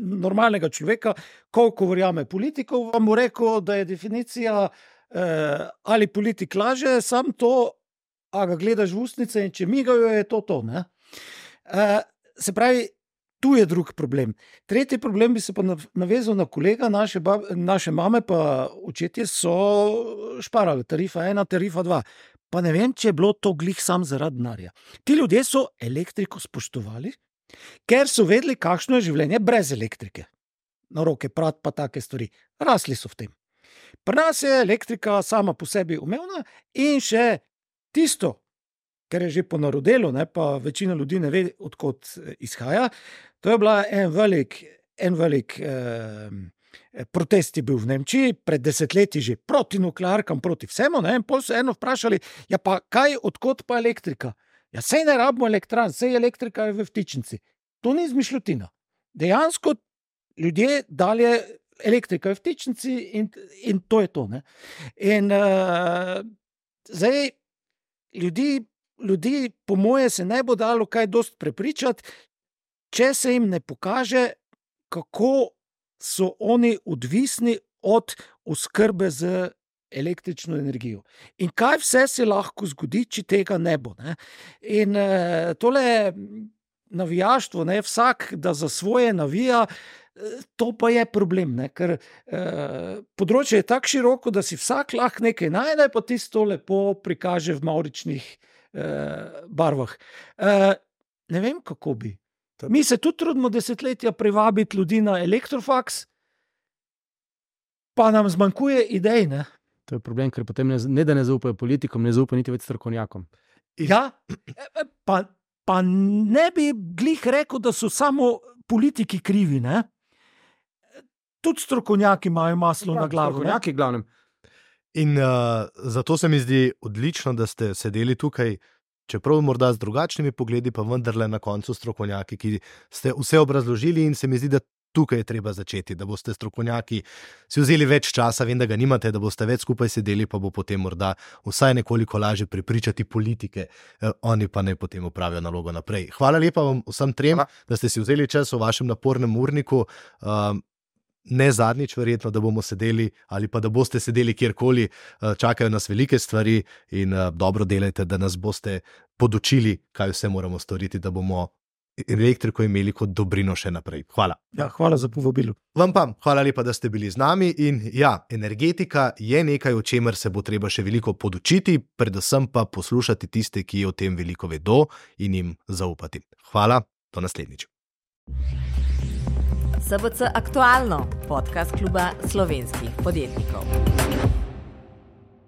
normalnega človeka, koliko verjame politikov, vam bo rekel, da je definicija eh, ali politik laže, sam to, a ga gledaš v ustnice in če migajo, je to to. Ne? Eh, se pravi, tu je drug problem. Tretji problem bi se pa navezal na kolega, naše, bab, naše mame pa očetje so šparali, tarifa ena, tarifa dva. Pa ne vem, če je bilo to glih sam zaradi denarja. Ti ljudje so elektriko spoštovali, ker so vedeli, kakšno je življenje brez elektrike. Na roke prat pa take stvari. Rasli so v tem. Pri nas je elektrika sama po sebi umevna in še tisto, ker je že ponarodelo, ne, pa večina ljudi ne ve, odkot izhaja, to je bila en velik, en velik eh, protest je bil v Nemčiji, pred desetletji že proti nuklearkam, proti vsemu, ne, in pol so eno vprašali, ja pa kaj, odkot pa elektrika? Ja, sej ne rabimo elektran, sej elektrika je v vtičnici. To ni izmišljotina. Dejansko ljudje dalje elektrika je v vtičnici in, in to je to. Ne? In uh, zdaj ljudi, ljudi po moje se ne bo dalo kaj dost prepričati, če se jim ne pokaže, kako so oni odvisni od oskrbe z električno energijo. In kaj vse se lahko zgodi, če tega ne bo. Ne? In uh, tole navijaštvo, ne, vsak, da za svoje navija, to pa je problem, ne? Ker uh, področje je tako široko, da si vsak lahko nekaj najde, pa tisto lepo prikaže v mavričnih uh, barvah. Uh, ne vem, kako bi. Mi se tudi trudimo desetletja privabiti ljudi na elektrofaks, pa nam zmanjkuje idej, ne? To je problem, ker potem ne, ne da ne zaupajo politikom, ne zaupajo niti več strokovnjakom. Ja, pa, pa ne bi glih rekel, da so samo politiki krivi, ne? Tudi strokovnjaki imajo maslo ja, na glavo. Strokovnjaki, glavnem. In uh, zato se mi zdi odlično, da ste sedeli tukaj, čeprav morda z drugačnimi pogledi, pa vendarle na koncu strokovnjaki, ki ste vse obrazložili in se mi zdi, da tukaj je treba začeti, da boste strokovnjaki si vzeli več časa, vem, da ga nimate, da boste več skupaj sedeli, pa bo potem morda vsaj nekoliko lažje prepričati politike, eh, oni pa naj potem opravijo nalogo naprej. Hvala lepa vam vsem trem, Hvala. Da ste si vzeli čas v vašem napornem urniku. Um, ne zadnjič verjetno, da bomo sedeli ali pa da boste sedeli kjerkoli, čakajo nas velike stvari in dobro delajte, da nas boste podučili, kaj vse moramo storiti, da bomo elektriko imeli kot dobrino še naprej. Hvala. Ja, hvala za povabilo. Vam pa, hvala lepa, da ste bili z nami in ja, energetika je nekaj, o čemer se bo treba še veliko podučiti, predvsem pa poslušati tiste, ki o tem veliko vedo in jim zaupati. Hvala, do naslednjič. S B C Aktualno, podcast kluba slovenskih podjetnikov.